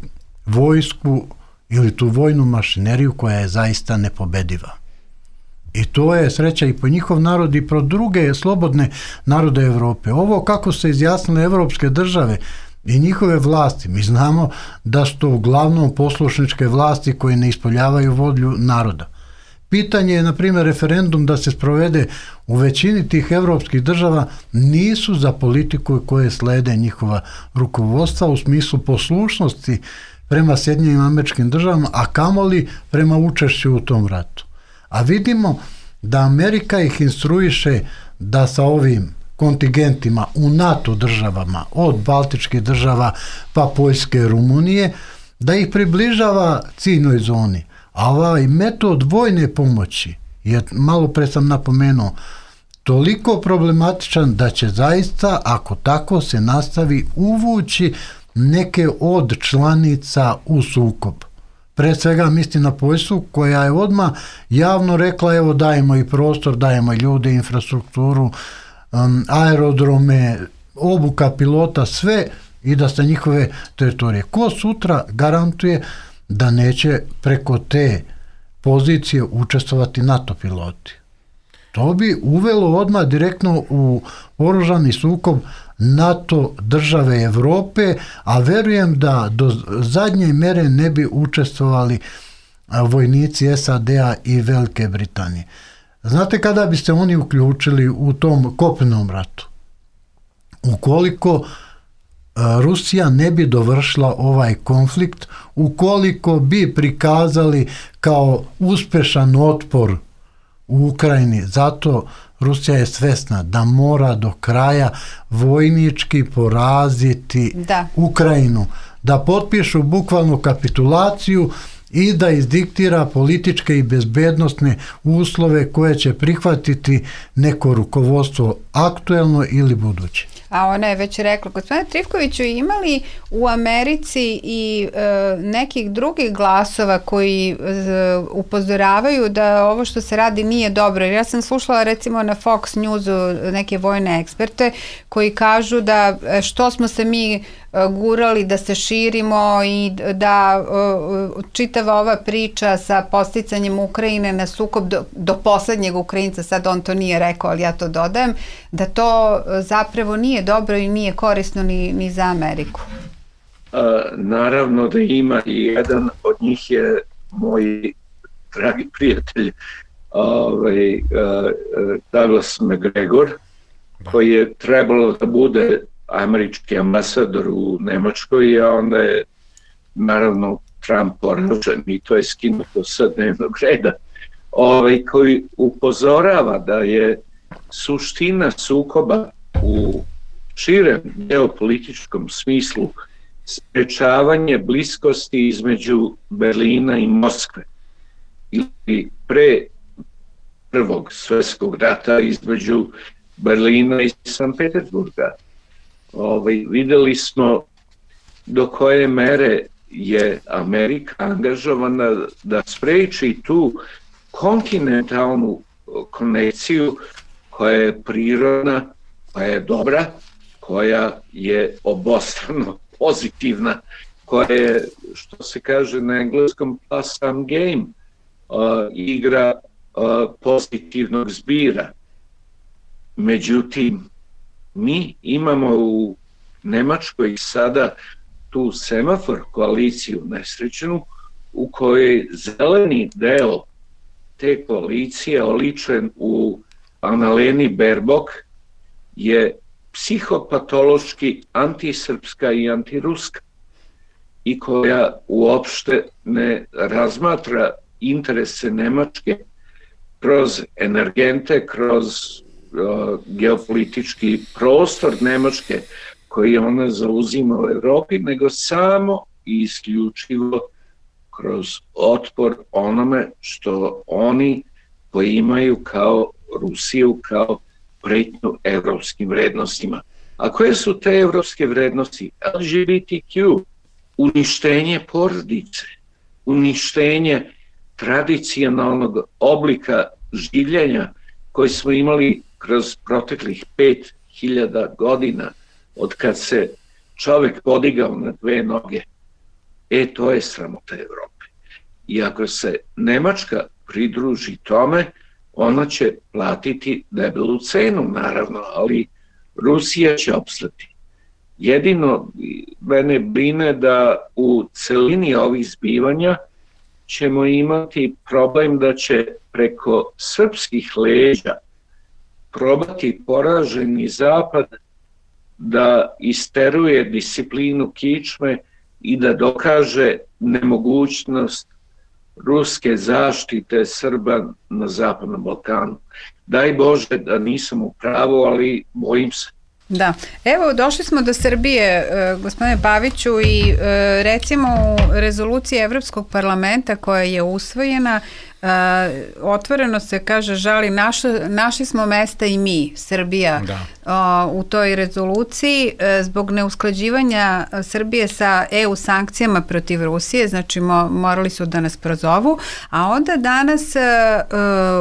vojsku ili tu vojnu mašineriju koja je zaista nepobediva. I to je sreća i po njihov narod i pro druge slobodne narode Evrope. Ovo kako se izjasnile evropske države i njihove vlasti, mi znamo da su to uglavnom poslušničke vlasti koje ne ispoljavaju volju naroda. Pitanje je, na primjer, referendum da se sprovede u većini tih evropskih država nisu za politiku koje slede njihova rukovodstva u smislu poslušnosti prema Sjedinjenim Američkim Državama, a kamoli prema učešću u tom ratu. A vidimo da Amerika ih instruiše da sa ovim kontingentima u NATO državama, od Baltičkih država pa Poljske, Rumunije, da ih približava ciljnoj zoni. A ovaj metod vojne pomoći je, malo pre sam napomenuo, toliko problematičan da će zaista, ako tako se nastavi, uvući neke od članica u sukob. Pre svega mislim na Poljsku koja je odmah javno rekla evo dajemo i prostor, dajemo i ljude, infrastrukturu, aerodrome, obuka pilota, sve i da sa njihove teritorije. Ko sutra garantuje da neće preko te pozicije učestvovati NATO piloti? To bi uvelo odmah direktno u oružani sukob NATO države Evrope, a verujem da do zadnje mere ne bi učestvovali vojnici SAD-a i Velike Britanije. Znate kada bi se oni uključili u tom kopnenom ratu? Ukoliko Rusija ne bi dovršila ovaj konflikt, ukoliko bi prikazali kao uspešan otpor u Ukrajini, zato Rusija je svesna da mora do kraja vojnički poraziti Ukrajinu, da potpišu bukvalnu kapitulaciju i da izdiktira političke i bezbednosne uslove koje će prihvatiti neko rukovodstvo aktuelno ili buduće. A ona je već rekla, gospodine Trifkoviću, imali u Americi i nekih drugih glasova koji upozoravaju da ovo što se radi nije dobro. Ja sam slušala recimo na Fox Newsu neke vojne eksperte koji kažu da što smo se mi gurali da se širimo i da čitava ova priča sa posticanjem Ukrajine na sukob do poslednjeg Ukrajinca, sad on to nije rekao, ali ja to dodajem, da to zapravo nije dobro i nije korisno ni za Ameriku. Naravno da ima i jedan od njih je moj dragi prijatelj Douglas McGregor, koji je trebalo da bude američki ambasador u Nemačkoj, a onda je naravno Trump poražen i to je skinuto sa dnevnog reda, koji upozorava da je suština sukoba u širem geopolitičkom smislu sprečavanje bliskosti između Berlina i Moskve ili pre Prvog svjetskog rata između Berlina i Sankt Petersburga. Videli smo do koje mere je Amerika angažovana da spreči tu kontinentalnu konekciju koja je prirodna, koja je dobra, koja je obostrano pozitivna, koja je, što se kaže na engleskom, plus some game, igra pozitivnog zbira. Međutim, mi imamo u Nemačkoj sada tu semafor koaliciju nesrećenu u kojoj zeleni deo te koalicije oličen u Annaleni Baerbock je psihopatološki antisrpska i antiruska i koja uopšte ne razmatra interese Nemačke kroz energente, kroz geopolitički prostor Nemačke koji ona zauzima u Evropi, nego samo i isključivo kroz otpor onome što oni poimaju kao Rusiju, kao pretnju evropskim vrednostima. A koje su te evropske vrednosti? LGBTQ, uništenje porodice, uništenje tradicionalnog oblika življenja koji smo imali kroz proteklih 5000 godina od kad se čovjek podigao na dve noge. To je sramota Evrope. I ako se Nemačka pridruži tome, ona će platiti debelu cenu, naravno, ali Rusija će opstati. Jedino mene brine da u celini ovih zbivanja ćemo imati problem da će preko srpskih leđa probati poraženi Zapad da isteruje disciplinu kičme i da dokaže nemogućnost ruske zaštite Srba na Zapadnom Balkanu. Daj Bože da nisam u pravu, ali bojim se. Da, evo došli smo do Srbije, gospodine Paviću, i recimo u rezoluciji Evropskog parlamenta koja je usvojena, otvoreno se kaže, žali, našli smo mesta i mi, Srbija, u toj rezoluciji zbog neusklađivanja Srbije sa EU sankcijama protiv Rusije, znači morali su da nas prozovu, a onda danas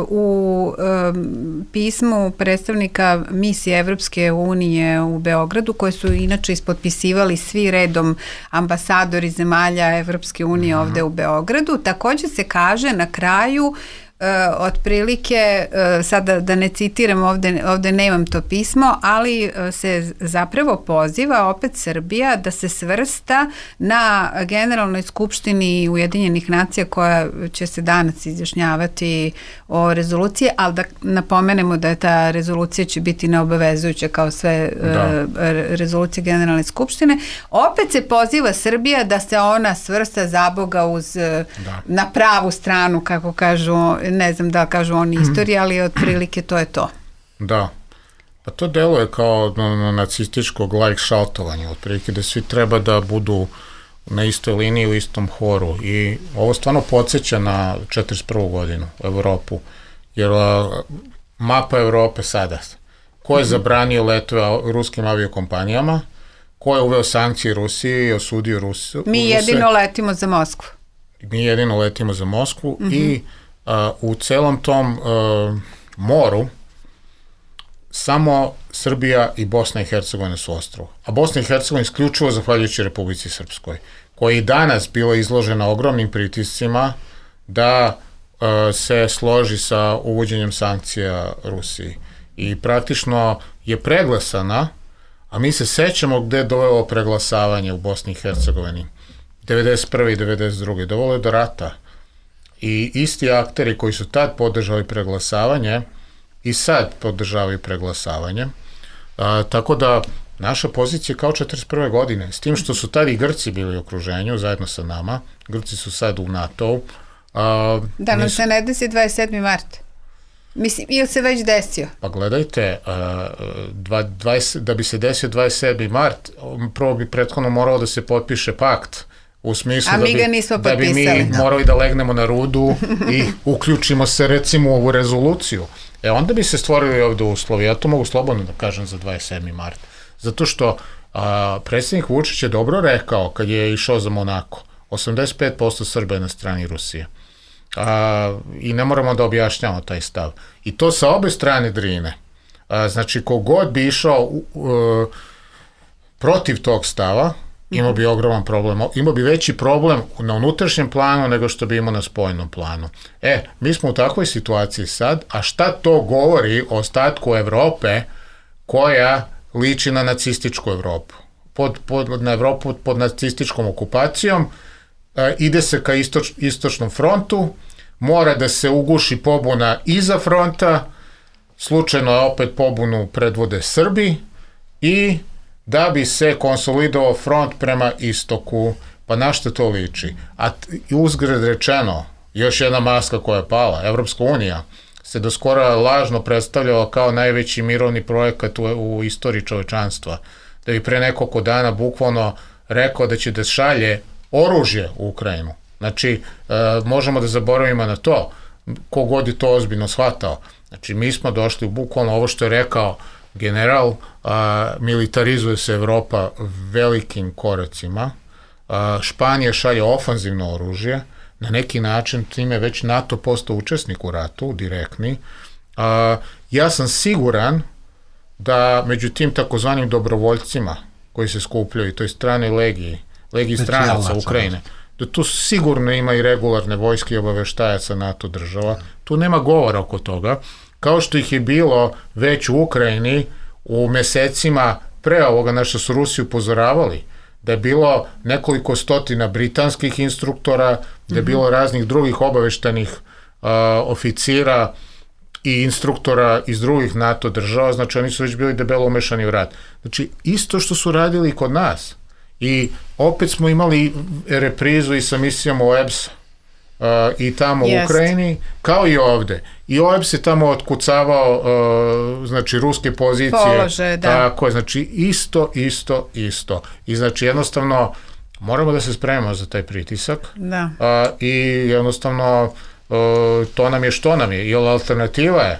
u pismu predstavnika misije Evropske unije u Beogradu, koje su inače ispotpisivali svi redom ambasadori zemalja Evropske unije ovde u Beogradu, također se kaže na kraju otprilike, sada da ne citiram, ovde nemam to pismo, ali se zapravo poziva opet Srbija da se svrsta na Generalnoj skupštini Ujedinjenih nacija koja će se danas izjašnjavati o rezoluciji, ali da napomenemo da je ta rezolucija će biti neobavezujuća kao sve rezolucije Generalne skupštine. Opet se poziva Srbija da se ona svrsta zaboga na pravu stranu, kako kažu, ne znam da kažu oni istoriji, ali otprilike to je to. Da, pa to deluje kao nacističko gleichschaltovanje, otprilike da svi treba da budu na istoj liniji, u istom horu, i ovo stvarno podsjeća na 1941. godinu u Evropu, jer mapa Evrope sada, ko je zabranio letove ruskim aviokompanijama, ko je uveo sankcije Rusiji i osudio Rusiju. Mi jedino letimo za Moskvu. I u celom tom moru samo Srbija i Bosna i Hercegovina su ostrvo. A Bosna i Hercegovina isključivo zahvaljujući Republici Srpskoj, koja i danas bila izložena ogromnim pritiscima da se složi sa uvođenjem sankcija Rusiji. I praktično je preglasana, a mi se sećamo gde je dovelo preglasavanje u Bosni i Hercegovini. 1991. i 1992. Dovelo je do rata. I isti akteri koji su tad podržali preglasavanje i sad podržavaju preglasavanje. Tako da naša pozicija je kao 41. godine, s tim što su tad i Grci bili u okruženju zajedno sa nama. Grci su sad u NATO-u. Da nam se ne desi 27. mart. Mislim, ili se već desio? Pa gledajte, da bi se desio 27. mart, prvo bi prethodno moralo da se potpiše pakt, u smislu da bi mi morali da legnemo na rudu i uključimo se recimo u ovu rezoluciju. Onda bi se stvorili ovde uslovi. Ja to mogu slobodno da kažem za 27. mart. Zato što predsjednik Vučić je dobro rekao kad je išao za Monako, 85% Srba je na strani Rusije. I ne moramo da objašnjamo taj stav. I to sa obe strane Drine. Znači, kogod bi išao protiv tog stava, imao bi ogroman problem. Imao bi veći problem na unutrašnjem planu nego što bi imao na spoljnom planu. Mi smo u takvoj situaciji sad, a šta to govori o ostatku Evrope koja liči na nacističku Evropu? Na Evropu pod nacističkom okupacijom, ide se ka istočnom frontu, mora da se uguši pobuna iza fronta, slučajno je opet pobunu predvode Srbi i da bi se konsolidovao front prema istoku. Pa na što to liči? A uzgred rečeno, još jedna maska koja je pala, Evropska unija se do skora lažno predstavljala kao najveći mirovni projekat u istoriji čovečanstva. Da bi pre nekoliko dana bukvalno rekao da će da šalje oružje u Ukrajinu. Znači, možemo da zaboravimo na to, kogod je to ozbiljno shvatao. Znači, mi smo došli u bukvalno ovo što je rekao general, militarizuje se Evropa velikim koracima, Španija šalje ofanzivno oružje, na neki način time već NATO postao učesnik u ratu, direktni. Ja sam siguran da među tim takozvanim dobrovoljcima koji se skupljaju, to je stranoj legiji stranaca Ukrajine, da tu sigurno ima i regularne vojske i obaveštajaca NATO država. Tu nema govora oko toga. Kao što ih je bilo već u Ukrajini u mesecima pre ovoga na što su Rusi upozoravali, da je bilo nekoliko stotina britanskih instruktora, da je bilo raznih drugih obaveštanih oficira i instruktora iz drugih NATO država, znači oni su već bili debelo umešani u rat. Znači, isto što su radili kod nas. I opet smo imali reprizu i sa misijama OEBS-a i tamo u Ukrajini, kao i ovde. I OEBS je tamo otkucavao znači ruske pozicije. Polože, da. Tako je, znači isto. I znači jednostavno moramo da se spremimo za taj pritisak. Da. I jednostavno to nam je što nam je. I alternativa je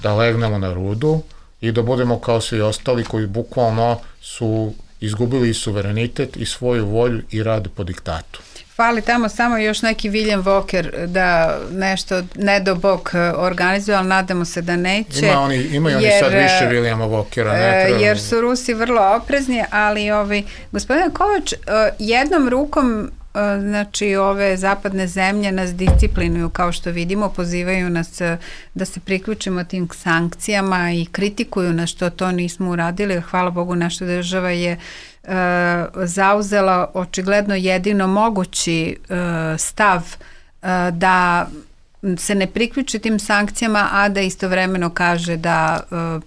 da legnemo na rudu i da budemo kao svi ostali koji bukvalno su izgubili i suverenitet i svoju volju i rade po diktatu. Fali tamo samo još neki William Walker da nešto ne do bog organizuje, ali nadamo se da neće. Imaju oni sad više Williama Walkera. Jer su Rusi vrlo oprezni, ali gospodine Kovač, jednom rukom znači ove zapadne zemlje nas disciplinuju, kao što vidimo, pozivaju nas da se priključimo tim sankcijama i kritikuju nas što to nismo uradili. Hvala Bogu, naša država je zauzela očigledno jedino mogući stav da se ne priključi tim sankcijama, a da istovremeno kaže da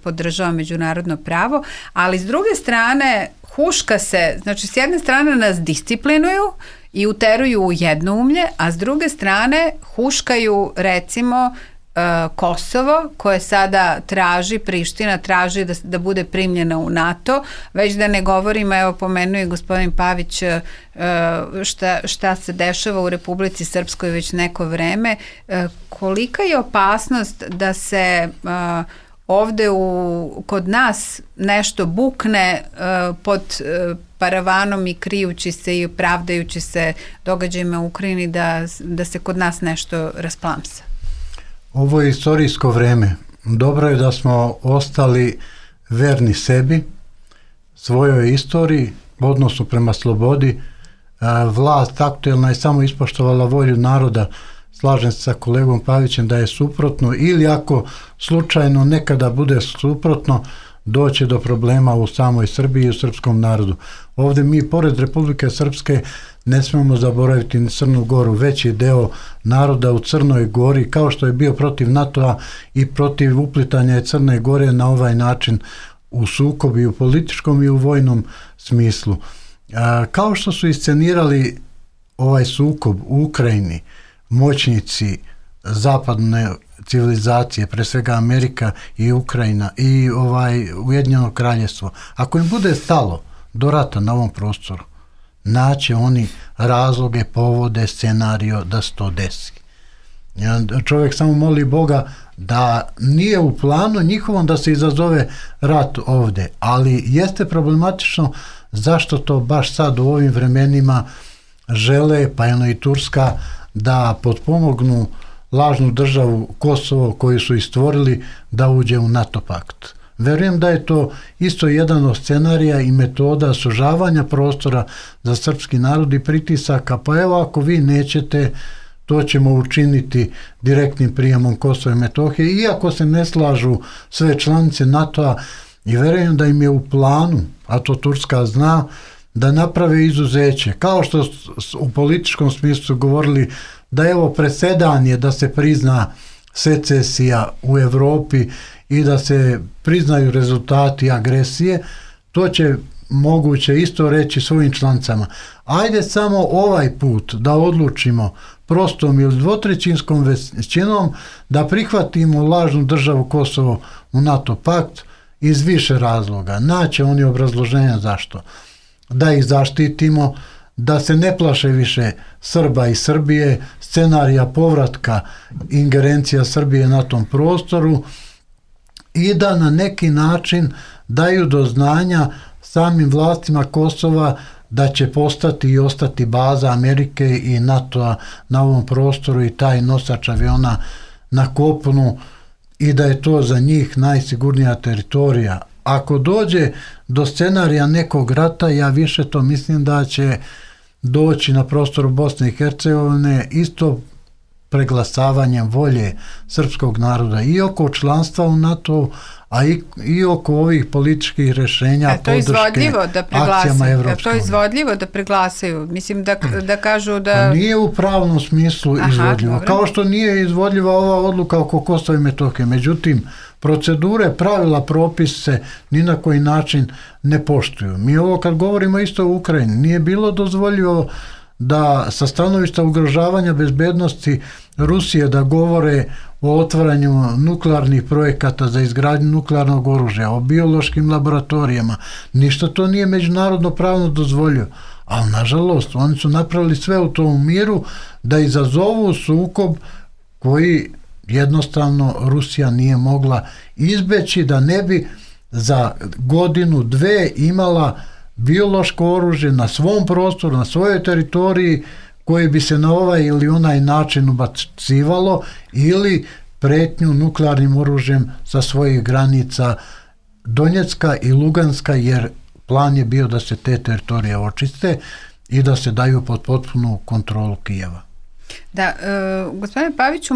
podržava međunarodno pravo, ali s druge strane huška se, znači s jedne strane nas disciplinuju i uteruju u jednoumlje, a s druge strane huškaju recimo Kosovo, koje sada traži, Priština traži da bude primljena u NATO, već da ne govorimo, evo pomenuo je gospodin Pavić šta se dešava u Republici Srpskoj već neko vreme. Kolika je opasnost da se ovde kod nas nešto bukne pod paravanom i krijući se i pravdajući se događajima u Ukrajini da se kod nas nešto rasplamsa? Ovo je istorijsko vreme. Dobro je da smo ostali verni sebi, svojoj istoriji, odnosu prema slobodi. Vlast aktuelna je samo ispoštovala volju naroda. Slažem se sa kolegom Pavićem da je suprotno, ili ako slučajno nekada bude suprotno, doće do problema u samoj Srbiji i u srpskom narodu. Ovdje mi, pored Republike Srpske, ne smemo zaboraviti ni Crnu Goru. Veći deo naroda u Crnoj Gori, kao što je bio protiv NATO-a i protiv uplitanja Crne Gore na ovaj način u sukob i u političkom i u vojnom smislu. Kao što su iscenirali ovaj sukob u Ukrajini, moćnici zapadne civilizacije, pre svega Amerika i Ukrajina i Ujedinjeno Kraljevstvo, ako im bude stalo do rata na ovom prostoru, naće oni razloge, povode, scenario da se to desi. Čovjek samo moli Boga da nije u planu njihovom da se izazove rat ovdje, ali jeste problematično zašto to baš sad u ovim vremenima žele, pa i Turska, da potpomognu lažnu državu Kosovo koju su istvorili da uđe u NATO pakt. Verujem da je to isto jedan od scenarija i metoda sužavanja prostora za srpski narod i pritisaka, pa evo ako vi nećete, to ćemo učiniti direktnim prijemom Kosova i Metohije, iako se ne slažu sve članice NATO-a, i verujem da im je u planu, a to Turska zna, da naprave izuzeće. Kao što u političkom smislu govorili da evo presedan je da se prizna secesija u Evropi i da se priznaju rezultati agresije, to će moguće isto reći svojim članicama. Ajde samo ovaj put da odlučimo prostom ili dvotrećinskom većinom da prihvatimo lažnu državu Kosovo u NATO pakt iz više razloga. Naće oni obrazloženja zašto. Da ih zaštitimo, da se ne plaše više Srba i Srbije, scenarija povratka ingerencija Srbije na tom prostoru i da na neki način daju do znanja samim vlastima Kosova da će postati i ostati baza Amerike i NATO-a na ovom prostoru i taj nosač aviona na kopnu i da je to za njih najsigurnija teritorija. Ako dođe do scenarija nekog rata, ja više to mislim da će doći na prostoru Bosne i Hercegovine isto preglasavanjem volje srpskog naroda i oko članstva u NATO, a i oko ovih političkih rešenja podrške akcijama Evropske unije. To je izvodljivo da preglasaju. Mislim da kažu da... Nije u pravnom smislu izvodljivo. Dobro. Kao što nije izvodljiva ova odluka oko Kosova i Metohije. Međutim, procedure, pravila, propise ni na koji način ne poštuju. Mi ovo kad govorimo isto u Ukrajini, nije bilo dozvoljivo da sa stanovišta ugrožavanja bezbednosti Rusije da govore o otvaranju nuklearnih projekata za izgradnju nuklearnog oružja, o biološkim laboratorijama. Ništa to nije međunarodno pravno dozvolio. Ali, nažalost, oni su napravili sve u tom miru da izazovu sukob koji jednostavno Rusija nije mogla izbeći, da ne bi za godinu, dve imala biološko oružje na svom prostoru, na svojoj teritoriji, koje bi se na ovaj ili onaj način ubacivalo ili pretnju nuklearnim oružjem sa svojih granica Donjecka i Luganska, jer plan je bio da se te teritorije očiste i da se daju pod potpunu kontrolu Kijeva. Da, gospodine Paviću,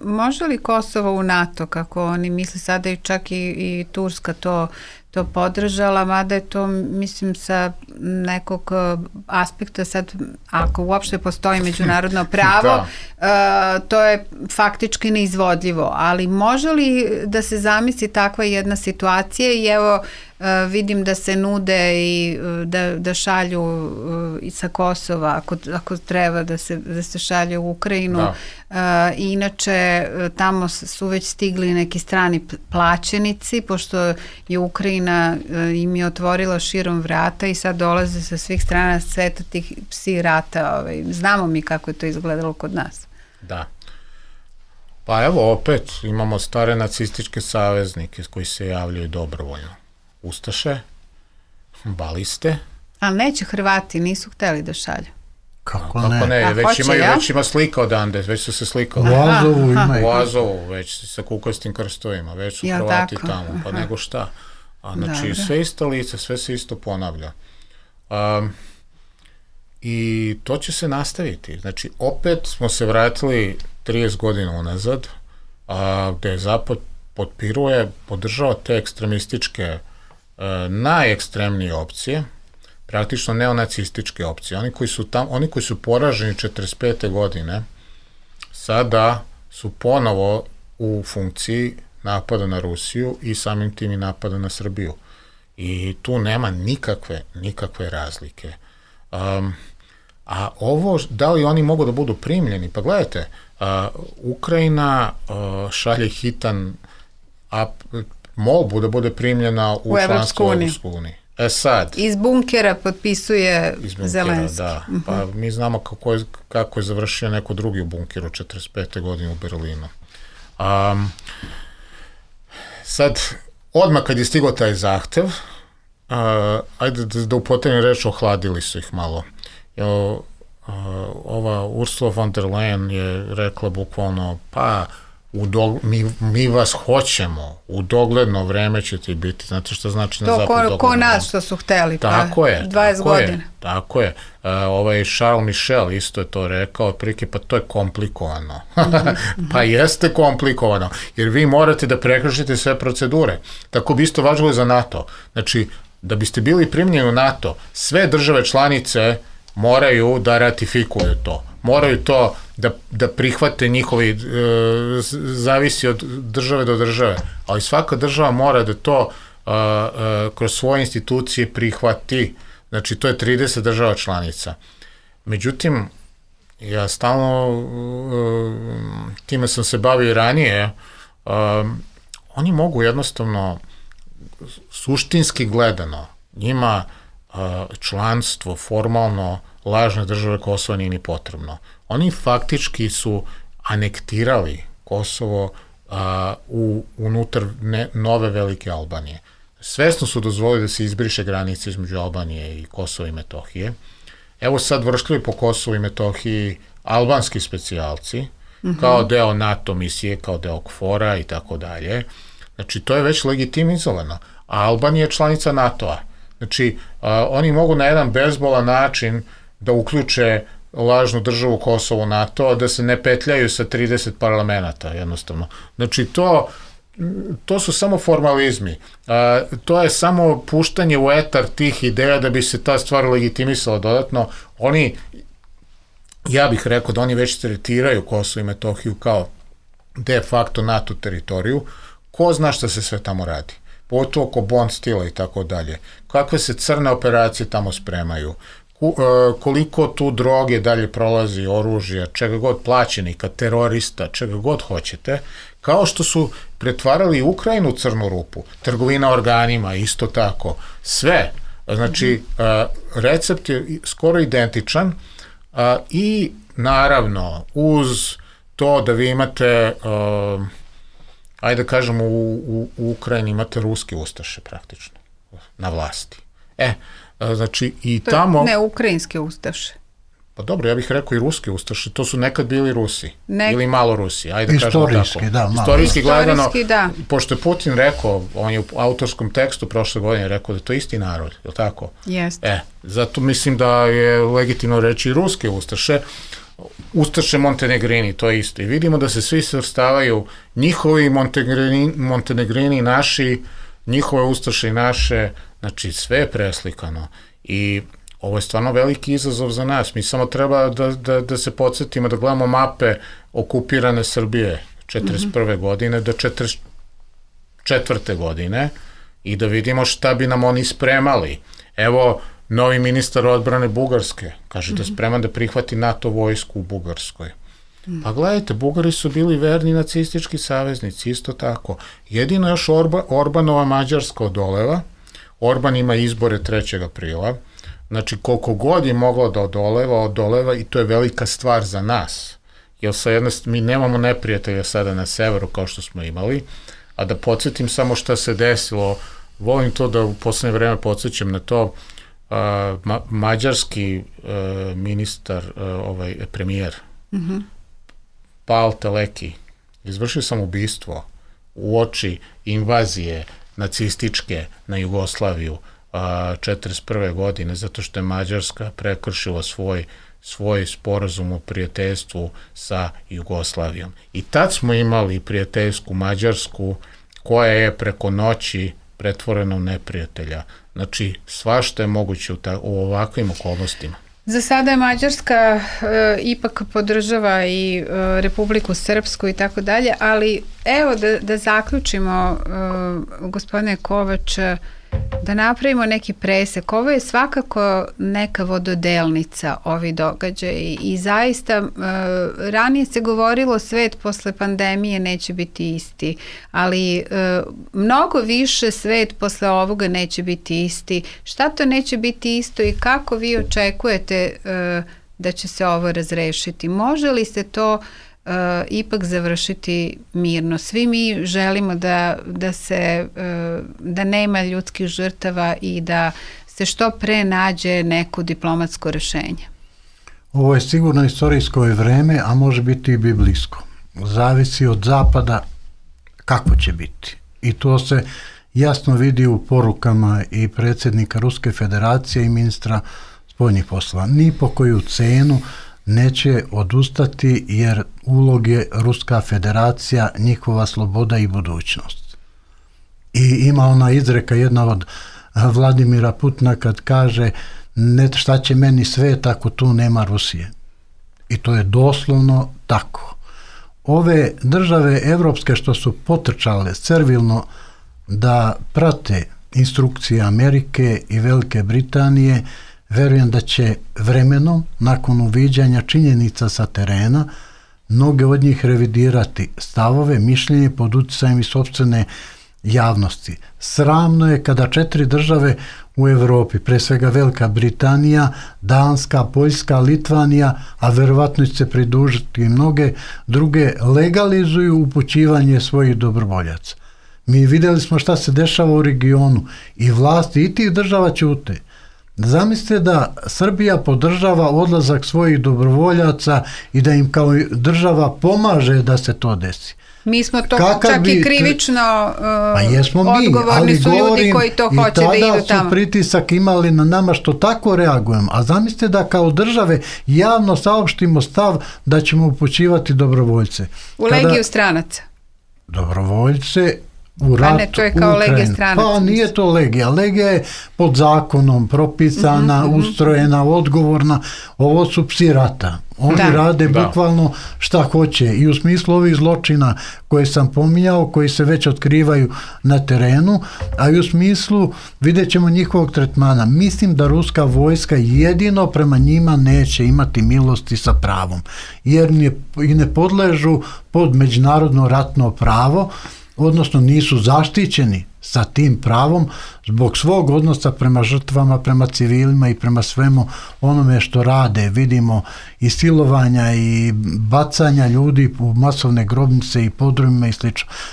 može li Kosovo u NATO, kako oni misle sada, i čak i Turska to podržala, mada je to, mislim, sa nekog aspekta sad, ako uopšte postoji međunarodno pravo, to je faktički neizvodljivo, ali može li da se zamisli takva jedna situacija i evo vidim da se nude i da šalju i sa Kosova, ako treba da se šalje u Ukrajinu. I inače tamo su već stigli neki strani plaćenici, pošto je Ukrajina im je otvorila širom vrata i sad dolaze sa svih strana sveta tih psi rata. Znamo mi kako je to izgledalo kod nas. Da. Pa evo opet imamo stare nacističke saveznike koji se javljaju dobrovoljno. Ustaše, baliste. Ali neće Hrvati, nisu hteli da šalju. Kako ne? Već ima slika odande, već su se slikali. U Azovu, već sa kukastim krstovima, već su Hrvati tamo, pa nego šta. Znači, sve isto lice, sve se isto ponavlja. I to će se nastaviti. Znači, opet smo se vratili 30 godina unazad, gde je Zapad podržava te ekstremističke, najekstremnije opcije, praktično neonacističke opcije. Oni koji su poraženi 45. godine, sada su ponovo u funkciji napada na Rusiju i samim tim i napada na Srbiju. I tu nema nikakve razlike. A ovo, da li oni mogu da budu primljeni? Pa gledajte, Ukrajina šalje hitan molbu da bude primljena u članstvo u Evropsku uniju. Sad. Iz bunkera potpisuje Zelenski. Da. Pa mi znamo kako je završio neko drugi u bunkeru 45. godine u Berlinu. Sad, odmah kad je stigao taj zahtev, ajde da upotrebim reč, ohladili su ih malo. Ova Ursula von der Leyen je rekla bukvalno, pa mi vas hoćemo, u dogledno vreme ćete biti, znate što znači na zapad dogledno? To ko nas što su hteli, pa 20 godina. Tako je. Charles Michel isto je to rekao, otprilike, pa to je komplikovano. Pa jeste komplikovano, jer vi morate da prekršite sve procedure. Tako bi isto važilo za NATO. Znači, da biste bili primljeni u NATO, sve države članice moraju da ratifikuju to. Moraju to da prihvate njihovi, zavisi od države do države, ali svaka država mora da to kroz svoje institucije prihvati. Znači, to je 30 država članica. Međutim, ja stalno, time sam se bavio i ranije, oni mogu jednostavno, suštinski gledano, njima članstvo formalno lažne države Kosova nije ni potrebno. Oni faktički su anektirali Kosovo unutar nove velike Albanije. Svesno su dozvolili da se izbriše granice između Albanije i Kosova i Metohije. Evo sad vršljaju po Kosovu i Metohiji albanski specijalci, kao deo NATO misije, kao deo KFOR-a i tako dalje. Znači, to je već legitimizovano. A Albanija je članica NATO-a. Znači, oni mogu na jedan bezbolan način da uključe lažnu državu Kosovo u NATO, a da se ne petljaju sa 30 parlamenta, jednostavno. Znači, to su samo formalizmi. To je samo puštanje u etar tih ideja da bi se ta stvar legitimisala dodatno. Oni, ja bih rekao da oni već tretiraju Kosovo i Metohiju kao de facto NATO teritoriju. Ko zna šta se sve tamo radi? Pogotovo oko Bond stila i tako dalje. Kakve se crne operacije tamo spremaju? Koliko tu droge dalje prolazi, oružja, čega god, plaćenika, terorista, čega god hoćete, kao što su pretvarali Ukrajinu u crnu rupu, trgovina organima, isto tako, sve. Znači, recept je skoro identičan i naravno uz to da vi imate, ajde da kažemo, u Ukrajini imate ruske ustaše praktično na vlasti. Znači i tamo... Ne, ukrajinske ustaše. Pa dobro, ja bih rekao i ruske ustaše, to su nekad bili Rusi, ili malo Rusi, ajde da kažemo tako. Istorijski gledano, pošto je Putin rekao, on je u autorskom tekstu prošle godine rekao da je to isti narod, je li tako? Jeste. Zato mislim da je legitimno reći i ruske ustaše, ustaše Montenegrini, to je isto. I vidimo da se svi svrstavaju, njihovi Montenegrini naši, njihove ustaše i naše, znači sve je preslikano i ovo je stvarno veliki izazov za nas. Mi samo treba da se podsjetimo, da gledamo mape okupirane Srbije 41. godine do 44. godine i da vidimo šta bi nam oni spremali. Evo, novi ministar odbrane Bugarske kaže da je spreman da prihvati NATO vojsku u Bugarskoj. Pa gledajte, Bugari su bili verni nacistički saveznici, isto tako. Jedino još Orbanova Mađarska odoleva. Orban ima izbore 3. aprila. Znači, koliko god je moglo da odoleva i to je velika stvar za nas. Jer mi nemamo neprijatelja sada na severu kao što smo imali, a da podsjetim samo šta se desilo, volim to da u poslednje vreme podsjećam na to, mađarski ministar, premijer, Pál Teleki, izvršio sam ubistvo u oči invazije nacističke na Jugoslaviju 1941. godine, zato što je Mađarska prekršila svoj sporazum o prijateljstvu sa Jugoslavijom. I tad smo imali prijateljsku Mađarsku koja je preko noći pretvorena u neprijatelja. Znači, svašta je moguće u ovakvim okolnostima. Za sada je Mađarska ipak podržava i Republiku Srpsku i tako dalje, ali evo da zaključimo, gospodine Kovač, da napravimo neki presek. Ovo je svakako neka vododelnica, ovi događaji, i zaista ranije se govorilo svet posle pandemije neće biti isti, ali mnogo više svet posle ovoga neće biti isti. Šta to neće biti isto i kako vi očekujete da će se ovo razrešiti? Može li se to ipak završiti mirno? Svi mi želimo da nema ljudskih žrtava i da se što pre nađe neko diplomatsko rešenje. Ovo je sigurno istorijsko vreme, a može biti i biblijsko. Zavisi od zapada kako će biti. I to se jasno vidi u porukama i predsjednika Ruske federacije i ministra spoljnih poslova. Ni po koju cenu neće odustati, jer ulog je Ruska federacija, njihova sloboda i budućnost. I ima ona izreka jedna od Vladimira Putina kad kaže šta će meni svet ako tu nema Rusije. I to je doslovno tako. Ove države evropske što su potrčale servilno da prate instrukcije Amerike i Velike Britanije, verujem da će vremenom, nakon uviđanja činjenica sa terena, mnoge od njih revidirati stavove, mišljenje pod utjecajem i sopstvene javnosti. Sramno je kada 4 države u Evropi, pre svega Velika Britanija, Danska, Poljska, Litvanija, a verovatno će se pridružiti i mnoge druge, legalizuju upućivanje svojih dobrovoljaca. Mi vidjeli smo šta se dešava u regionu i vlasti i tih država ćute. Zamislite da Srbija podržava odlazak svojih dobrovoljaca i da im kao država pomaže da se to desi. Mi smo to čak i krivično odgovorni su ljudi koji to hoće da idu tamo. I tada su pritisak imali na nama što tako reagujemo. A zamislite da kao države javno saopštimo stav da ćemo upućivati dobrovoljce. U legiju stranaca. Dobrovoljce u ratu, ne, to je kao legija stranaca. Pa nije to legija. Legija je pod zakonom propisana, ustrojena, odgovorna. Ovo su psi rata. Oni rade bukvalno šta hoće. I u smislu ovih zločina koje sam pominjao, koji se već otkrivaju na terenu, a i u smislu vidjet ćemo njihovog tretmana. Mislim da ruska vojska jedino prema njima neće imati milosti sa pravom. Jer ne podležu pod međunarodno ratno pravo, odnosno nisu zaštićeni sa tim pravom zbog svog odnosa prema žrtvama, prema civilima i prema svemu onome što rade. Vidimo i silovanja i bacanja ljudi u masovne grobnice i podrumima i sl.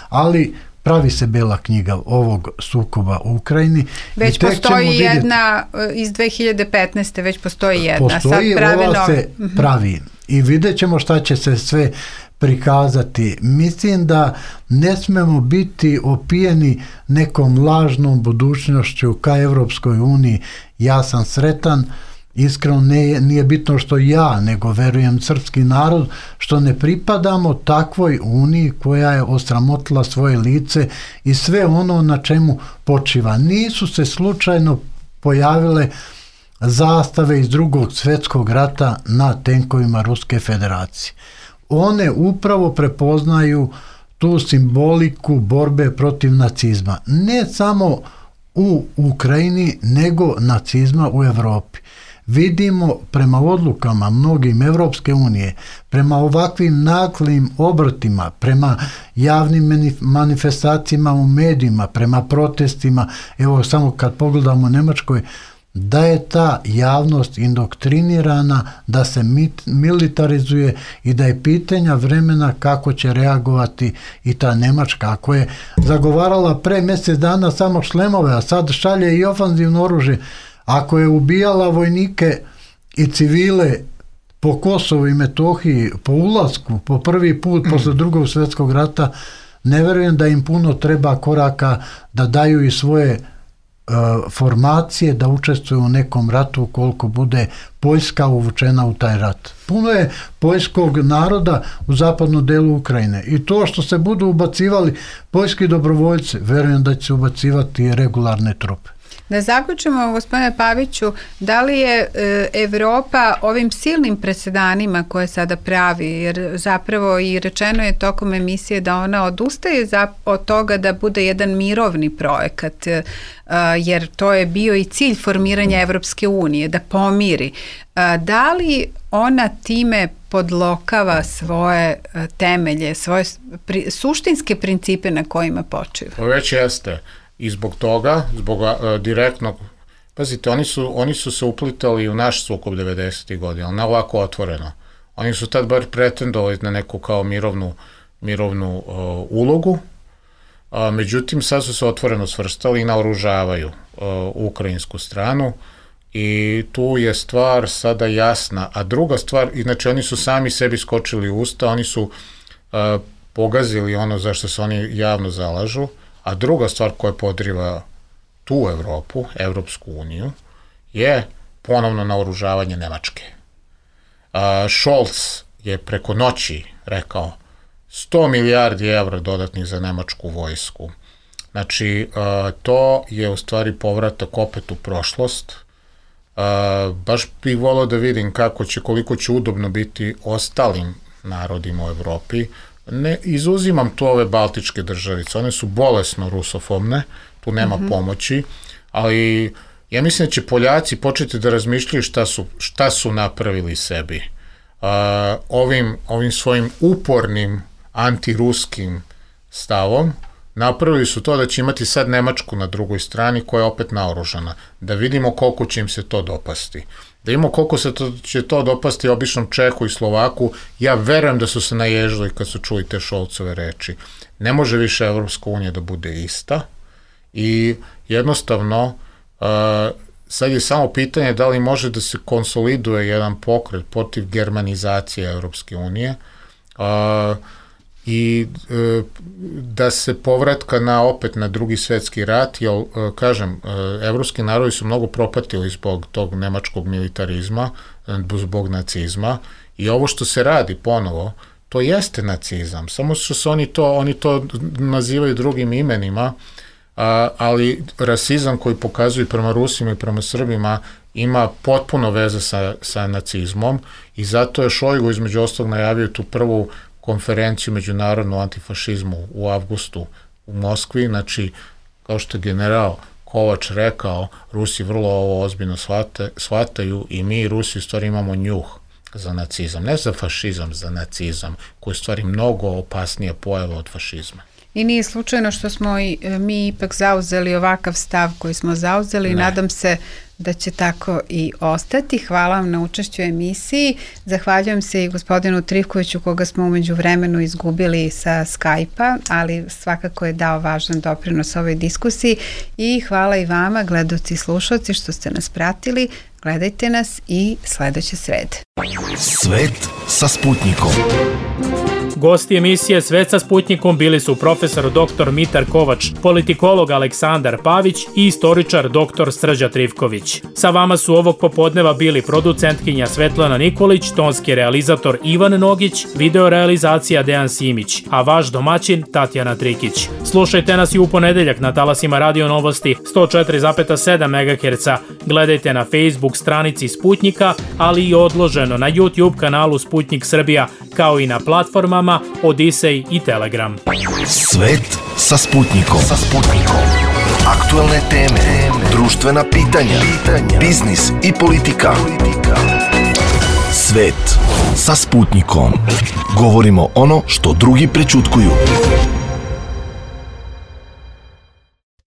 Ali pravi se bela knjiga ovog sukoba u Ukrajini. Već postoji jedna iz 2015. već postoji jedna. Postoji, ova se pravi. I vidjet ćemo šta će se sve prikazati. Mislim da ne smemo biti opijeni nekom lažnom budućnošću ka Evropskoj uniji. Ja sam sretan, iskreno nije bitno što ja, nego verujem srpski narod, što ne pripadamo takvoj uniji koja je osramotila svoje lice i sve ono na čemu počiva. Nisu se slučajno pojavile zastave iz Drugog svjetskog rata na tenkovima Ruske federacije. One upravo prepoznaju tu simboliku borbe protiv nacizma. Ne samo u Ukrajini, nego nacizma u Evropi. Vidimo prema odlukama mnogim Evropske unije, prema ovakvim naklim obrtima, prema javnim manifestacijama u medijima, prema protestima, evo samo kad pogledamo u Njemačkoj, da je ta javnost indoktrinirana, da se militarizuje i da je pitanja vremena kako će reagovati i ta Njemačka. Ako je zagovarala pre mjesec dana samo šlemove, a sad šalje i ofanzivno oružje, ako je ubijala vojnike i civile po Kosovu i Metohiji, po ulasku, po prvi put posle Drugog svjetskog rata, ne verujem da im puno treba koraka da daju i svoje formacije da učestvuju u nekom ratu ukoliko bude Poljska uvučena u taj rat. Puno je poljskog naroda u zapadnom delu Ukrajine i to što se budu ubacivali poljski dobrovoljci, verujem da će se ubacivati i regularne trupe. Da zaključimo, gospodine Paviću, da li je Evropa ovim silnim presedanima koje sada pravi, jer zapravo i rečeno je tokom emisije da ona odustaje od toga da bude jedan mirovni projekat, jer to je bio i cilj formiranja Evropske unije, da pomiri. Da li ona time podlokava svoje temelje, svoje suštinske principe na kojima počiva? Već jeste. I zbog toga, zbog direktnog, pazite, oni su se uplitali u naš sukob 90. godina, ali ne ovako otvoreno. Oni su tad bar pretendovali na neku kao mirovnu ulogu, međutim sad su se otvoreno svrstali i naoružavaju ukrajinsku stranu i tu je stvar sada jasna. A druga stvar, inače oni su sami sebi skočili u usta, oni su pogazili ono za što se oni javno zalažu. A druga stvar koja podriva tu Evropu, Evropsku uniju, je ponovno naoružavanje Nemačke. Scholz je preko noći rekao 100 milijardi evra dodatnih za nemačku vojsku. Znači, to je u stvari povratak opet u prošlost. Baš bih volao da vidim koliko će udobno biti ostalim narodima u Evropi. Ne izuzimam tu ove baltičke državice, one su bolesno rusofobne, tu nema pomoći, ali ja mislim da će Poljaci početi da razmišljaju šta su napravili sebi. Ovim svojim upornim antiruskim stavom napravili su to da će imati sad Nemačku na drugoj strani koja je opet naoružana, da vidimo koliko će im se to dopasti. Da imamo koliko će to dopasti običnom Čehu i Slovaku, ja verujem da su se naježili kad su čuli te Scholzove reči. Ne može više Evropska unija da bude ista i jednostavno sad je samo pitanje da li može da se konsoliduje jedan pokret protiv germanizacije Evropske unije i da se povratka opet na drugi svetski rat, jer, kažem, evropski narodi su mnogo propatili zbog tog nemačkog militarizma, zbog nacizma i ovo što se radi ponovo, to jeste nacizam, samo što se oni to nazivaju drugim imenima, ali rasizam koji pokazuju prema Rusima i prema Srbima ima potpuno veze sa nacizmom i zato je Šojgu između ostalog najavio tu prvu konferenciju međunarodnu antifašizmu u avgustu u Moskvi, znači, kao što je general Kovač rekao, Rusi vrlo ovo ozbiljno shvataju i mi Rusi u stvari imamo njuh za nacizam, ne za fašizam, za nacizam, koji je u stvari mnogo opasnija pojava od fašizma. I nije slučajno što smo mi ipak zauzeli ovakav stav koji smo zauzeli i nadam se da će tako i ostati. Hvala vam na učešću u emisiji. Zahvaljujem se i gospodinu Trivkoviću koga smo umeđu vremenu izgubili sa Skype-a, ali svakako je dao važan doprinos ovoj diskusiji i hvala i vama, gledaoci i slušalci, što ste nas pratili. Gledajte nas i sledeće srede. Svet sa Sputnikom. Gosti emisije Svet sa Sputnikom bili su profesor dr. Mitar Kovač, politikolog Aleksandar Pavić i istoričar dr. Srđa Trivković. Sa vama su ovog popodneva bili producentkinja Svetlana Nikolić, tonski realizator Ivan Nogić, videorealizacija Dejan Simić, a vaš domaćin Tatjana Trikić. Slušajte nas i u ponedeljak na talasima Radio Novosti 104,7 MHz. Gledajte na Facebook stranici Sputnika, ali i odloženo na YouTube kanalu Sputnik Srbija, kao i na platformama Odisej i Telegram. Svet sa Sputnikom. Aktuelne teme, društvena pitanja, biznis i politika. Svet sa Sputnikom. Govorimo ono što drugi prećutkuju.